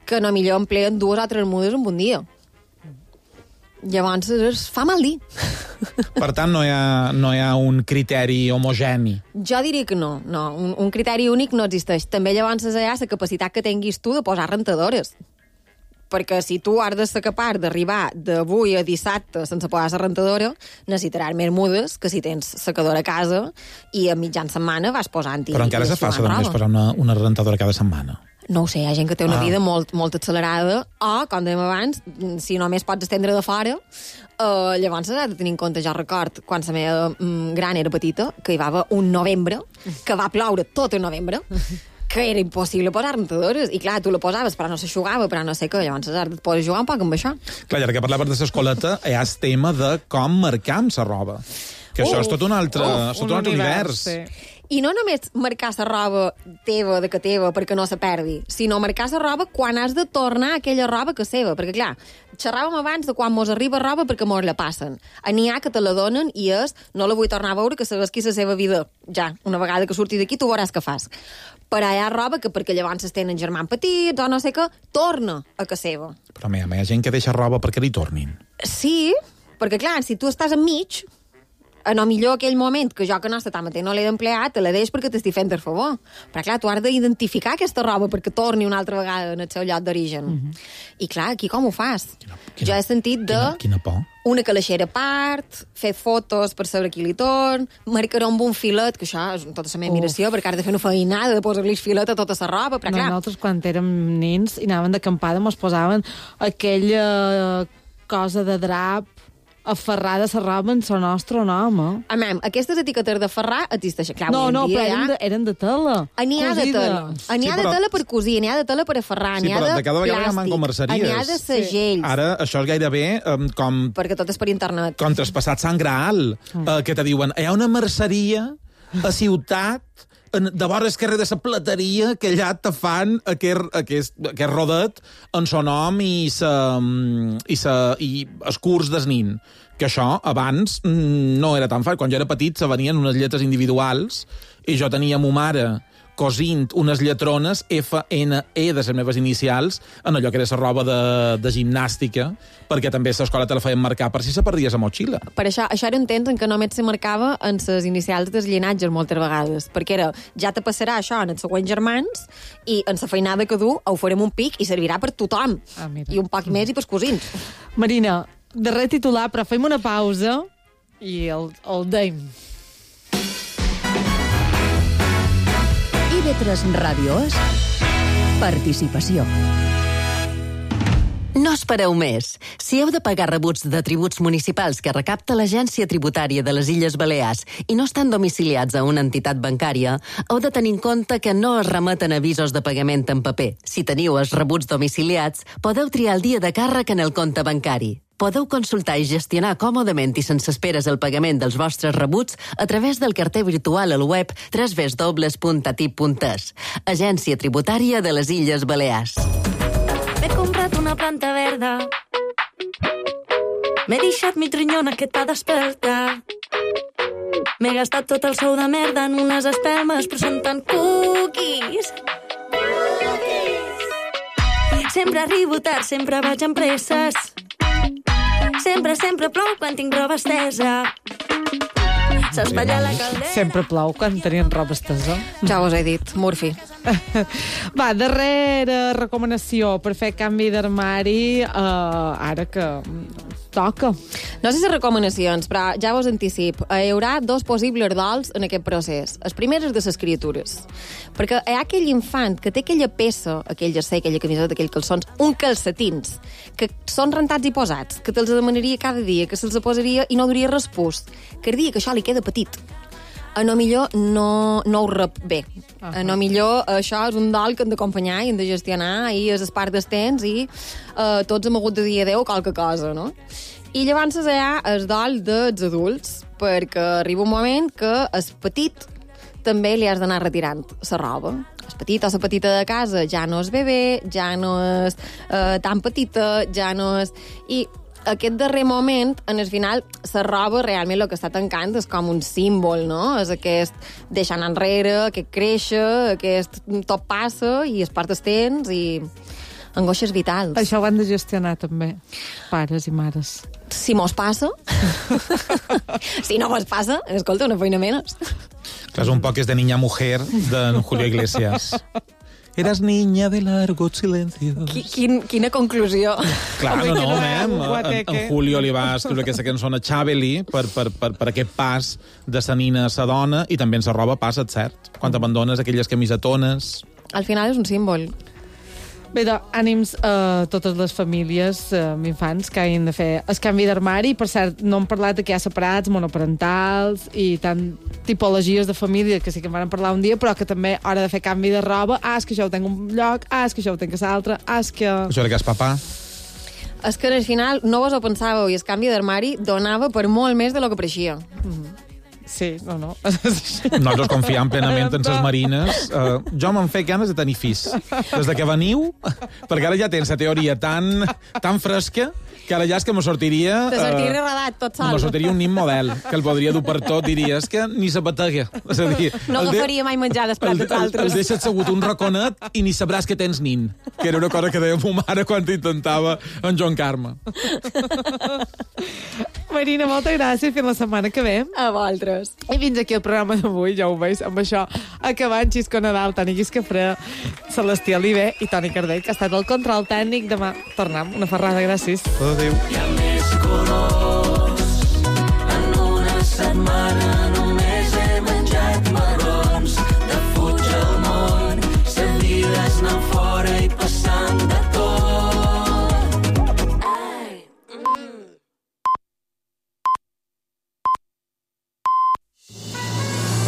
que a lo millor empleen 2 o 3 mudes en un dia. Llavors es fa mal dir. Per tant, no hi ha un criteri homogeni. Jo diria que no. Un criteri únic no existeix. També llavors hi ha la capacitat que tinguis tu de posar rentadores. Perquè si tu has de ser capaç d'arribar d'avui a dissabte sense posar la rentadora, necessitaràs més mudes que si tens secadora a casa i a mitjan setmana vas posant-hi. Però encara és fàcil només posar una rentadora cada setmana. No ho sé, hi ha gent que té una vida molt accelerada o, com dèiem abans, si només pots estendre de fora, llavors has de tenir en compte. Jo record, quan la meva gran era petita, que hi va haver un novembre, que va ploure tot el novembre, que era impossible posar rentadores. I clar, tu la posaves, però no s'aixugava, però no sé què, llavors has de poder jugar un poc amb això. Clar, ara que parlaves de l'escoleta, hi ha el tema de com marcar amb la roba. Que això és tot un altre univers. Sí. I no només marcar la roba teva, de que teva, perquè no se perdi, sinó marcar la roba quan has de tornar aquella roba que és seva. Perquè, clar, xerràvem abans de quan mos arriba roba perquè mos la passen. N'hi ha que te la donen i és, no la vull tornar a veure, que sabes qui és la seva vida. Ja, una vegada que surti d'aquí, tu veuràs què fas. Però hi ha roba que perquè llavors es tenen germans petits o no sé què, torna a que seva. Però hi ha gent que deixa roba perquè li tornin. Sí, perquè, clar, si tu estàs enmig, a no millor aquell moment que jo que no està tan mateix no l'he d'emplear, te la deix perquè t'estic fent el favor. Però clar, tu has d'identificar aquesta roba perquè torni una altra vegada en el seu lloc d'origen. I clar, aquí com ho fas? Jo he sentit de... Quina por. Una calaixera a part, fer fotos per saber qui li torn, marcar amb un filet, que això és tota la meva admiració, perquè has de fer una feinada de posar-li filet a tota la roba, però clar... Nosaltres, quan érem nens i anàvem d'acampada, mos posaven aquella cosa de drap aferrada a la roba en la nostra nom, Amam, aquestes etiquetes de ferrar existeixen. Clar, no, però eren de tela. N'hi ha de tela. N'hi ha de tela per cosir, n'hi ha de tela per aferrar, n'hi ha de plàstic, n'hi ha de segells. Ara això és gairebé com... Perquè tot és per internet. Com traspassat Sant Graal, que te diuen, hi ha una merceria a ciutat de vora el carrer de la plateria que allà te fan aquest rodet en son nom i el curs del nin. Que això abans no era tan fàcil. Quan jo era petit se venien unes lletres individuals i jo tenia ma mare cosint unes lletrones FNE de les meves inicials en allò que era la roba de gimnàstica, perquè també a l'escola te la feien marcar per si se perdies a motxilla. Per això era un temps en què només se marcava en les inicials dels llinatges moltes vegades, perquè era, ja te passarà això en els següents germans i en la feinada que du ho farem un pic i servirà per tothom. I un poc més i pels cosins. Marina, darrer titular, però fem una pausa i el deim. IB3 Ràdio és participació. No espereu més. Si heu de pagar rebuts de tributs municipals que recapta l'Agència Tributària de les Illes Balears i no estan domiciliats a una entitat bancària, heu de tenir en compte que no es remeten avisos de pagament en paper. Si teniu els rebuts domiciliats, podeu triar el dia de càrrec en el compte bancari. Podeu consultar i gestionar còmodament i sense esperes el pagament dels vostres rebuts a través del carter virtual al web www.atip.es. Agència Tributària de les Illes Balears. M'he comprat una planta verda. M'he deixat mi trinyona que t'ha desperta. M'he gastat tot el sou de merda en unes espelmes, però són tan cookies. Sempre arribo tard, sempre vaig amb presses. Sempre plou quan tinc roba estesa. S'espatlla la caldera. Sempre plou quan tenien roba estesa. Ja us he dit, Murphy. Va, darrera recomanació per fer canvi d'armari, ara que toca. No sé si recomanacions, però ja vos anticip. Hi haurà 2 possibles dols en aquest procés. El primer és de les criatures. Perquè hi ha aquell infant que té aquella peça, aquell jersei, aquella camiseta, aquells calçons, un calcetins, que són rentats i posats, que te'ls demanaria cada dia, que se'ls posaria i no duria respús, que el dia que això li queda petit. A no millor no ho rep bé. A no millor això és un dol que hem d'acompanyar i hem de gestionar i és el part del temps i tots hem hagut de dir adeu qualque cosa, no? I llavors hi ha el dol dels adults, perquè arriba un moment que el petit també li has d'anar retirant la roba. El petit o la petita de casa ja no és bebè, ja no és tan petita, ja no és... I aquest darrer moment, en el final, la roba realment el que està tancant és com un símbol, no? És aquest deixar anar enrere, aquest créixer, aquest tot passa i es part el temps i angoixes vitals. Això ho han de gestionar també, pares i mares. Si mos passa, si no mos passa, escolta, una feina menys. Clar, és un poc és de Niña Mujer, de Julio Iglesias. Eras niña de largos silencios. Quina conclusió. Clar, en Julio li va escriure aquesta cançó a Chabeli per aquest pas de sa nina a sa dona i també en sa roba passa, cert? Quan t'abandones aquelles camisetones... Al final és un símbol. Bé, doncs, ànims a totes les famílies amb infants que hagin de fer el canvi d'armari. Per cert, no hem parlat de que hi ha separats, monoparentals i tant tipologies de família, que sí que en vam parlar un dia, però que també hora de fer canvi de roba. És que això ho tenc un lloc, és que això ho tenc a l'altre, és que... Això era que és papà. És que al final no vos ho pensàveu i el canvi d'armari donava per molt més de lo que pareixia. Sí, no. Nosaltres confiem plenament en les marines. Jo me'n fec ganes de tenir fills. Des de que veniu, perquè ara ja tens la teoria tan fresca que ara ja és que me sortiria... Te sortiria rodat tot sol. Me sortiria un nin model, que el podria dur per tot. Diria, és que ni se batega. És a dir, no agafaria mai menjar dels plats dels altres. El deixes segut un raconet i ni sabràs que tens nin. Que era una cosa que deia ma mare quan intentava en Joan Carme. Marina, moltes gràcies. Fins la setmana que ve. A vosaltres. I fins aquí el programa d'avui, ja ho veus, amb això acabant Xisco Nadal, Toni Guiscafré, Celestí Oliver i Toni Cardell, que ha estat el control tècnic. Demà tornem. Una ferrada, gràcies. Adéu.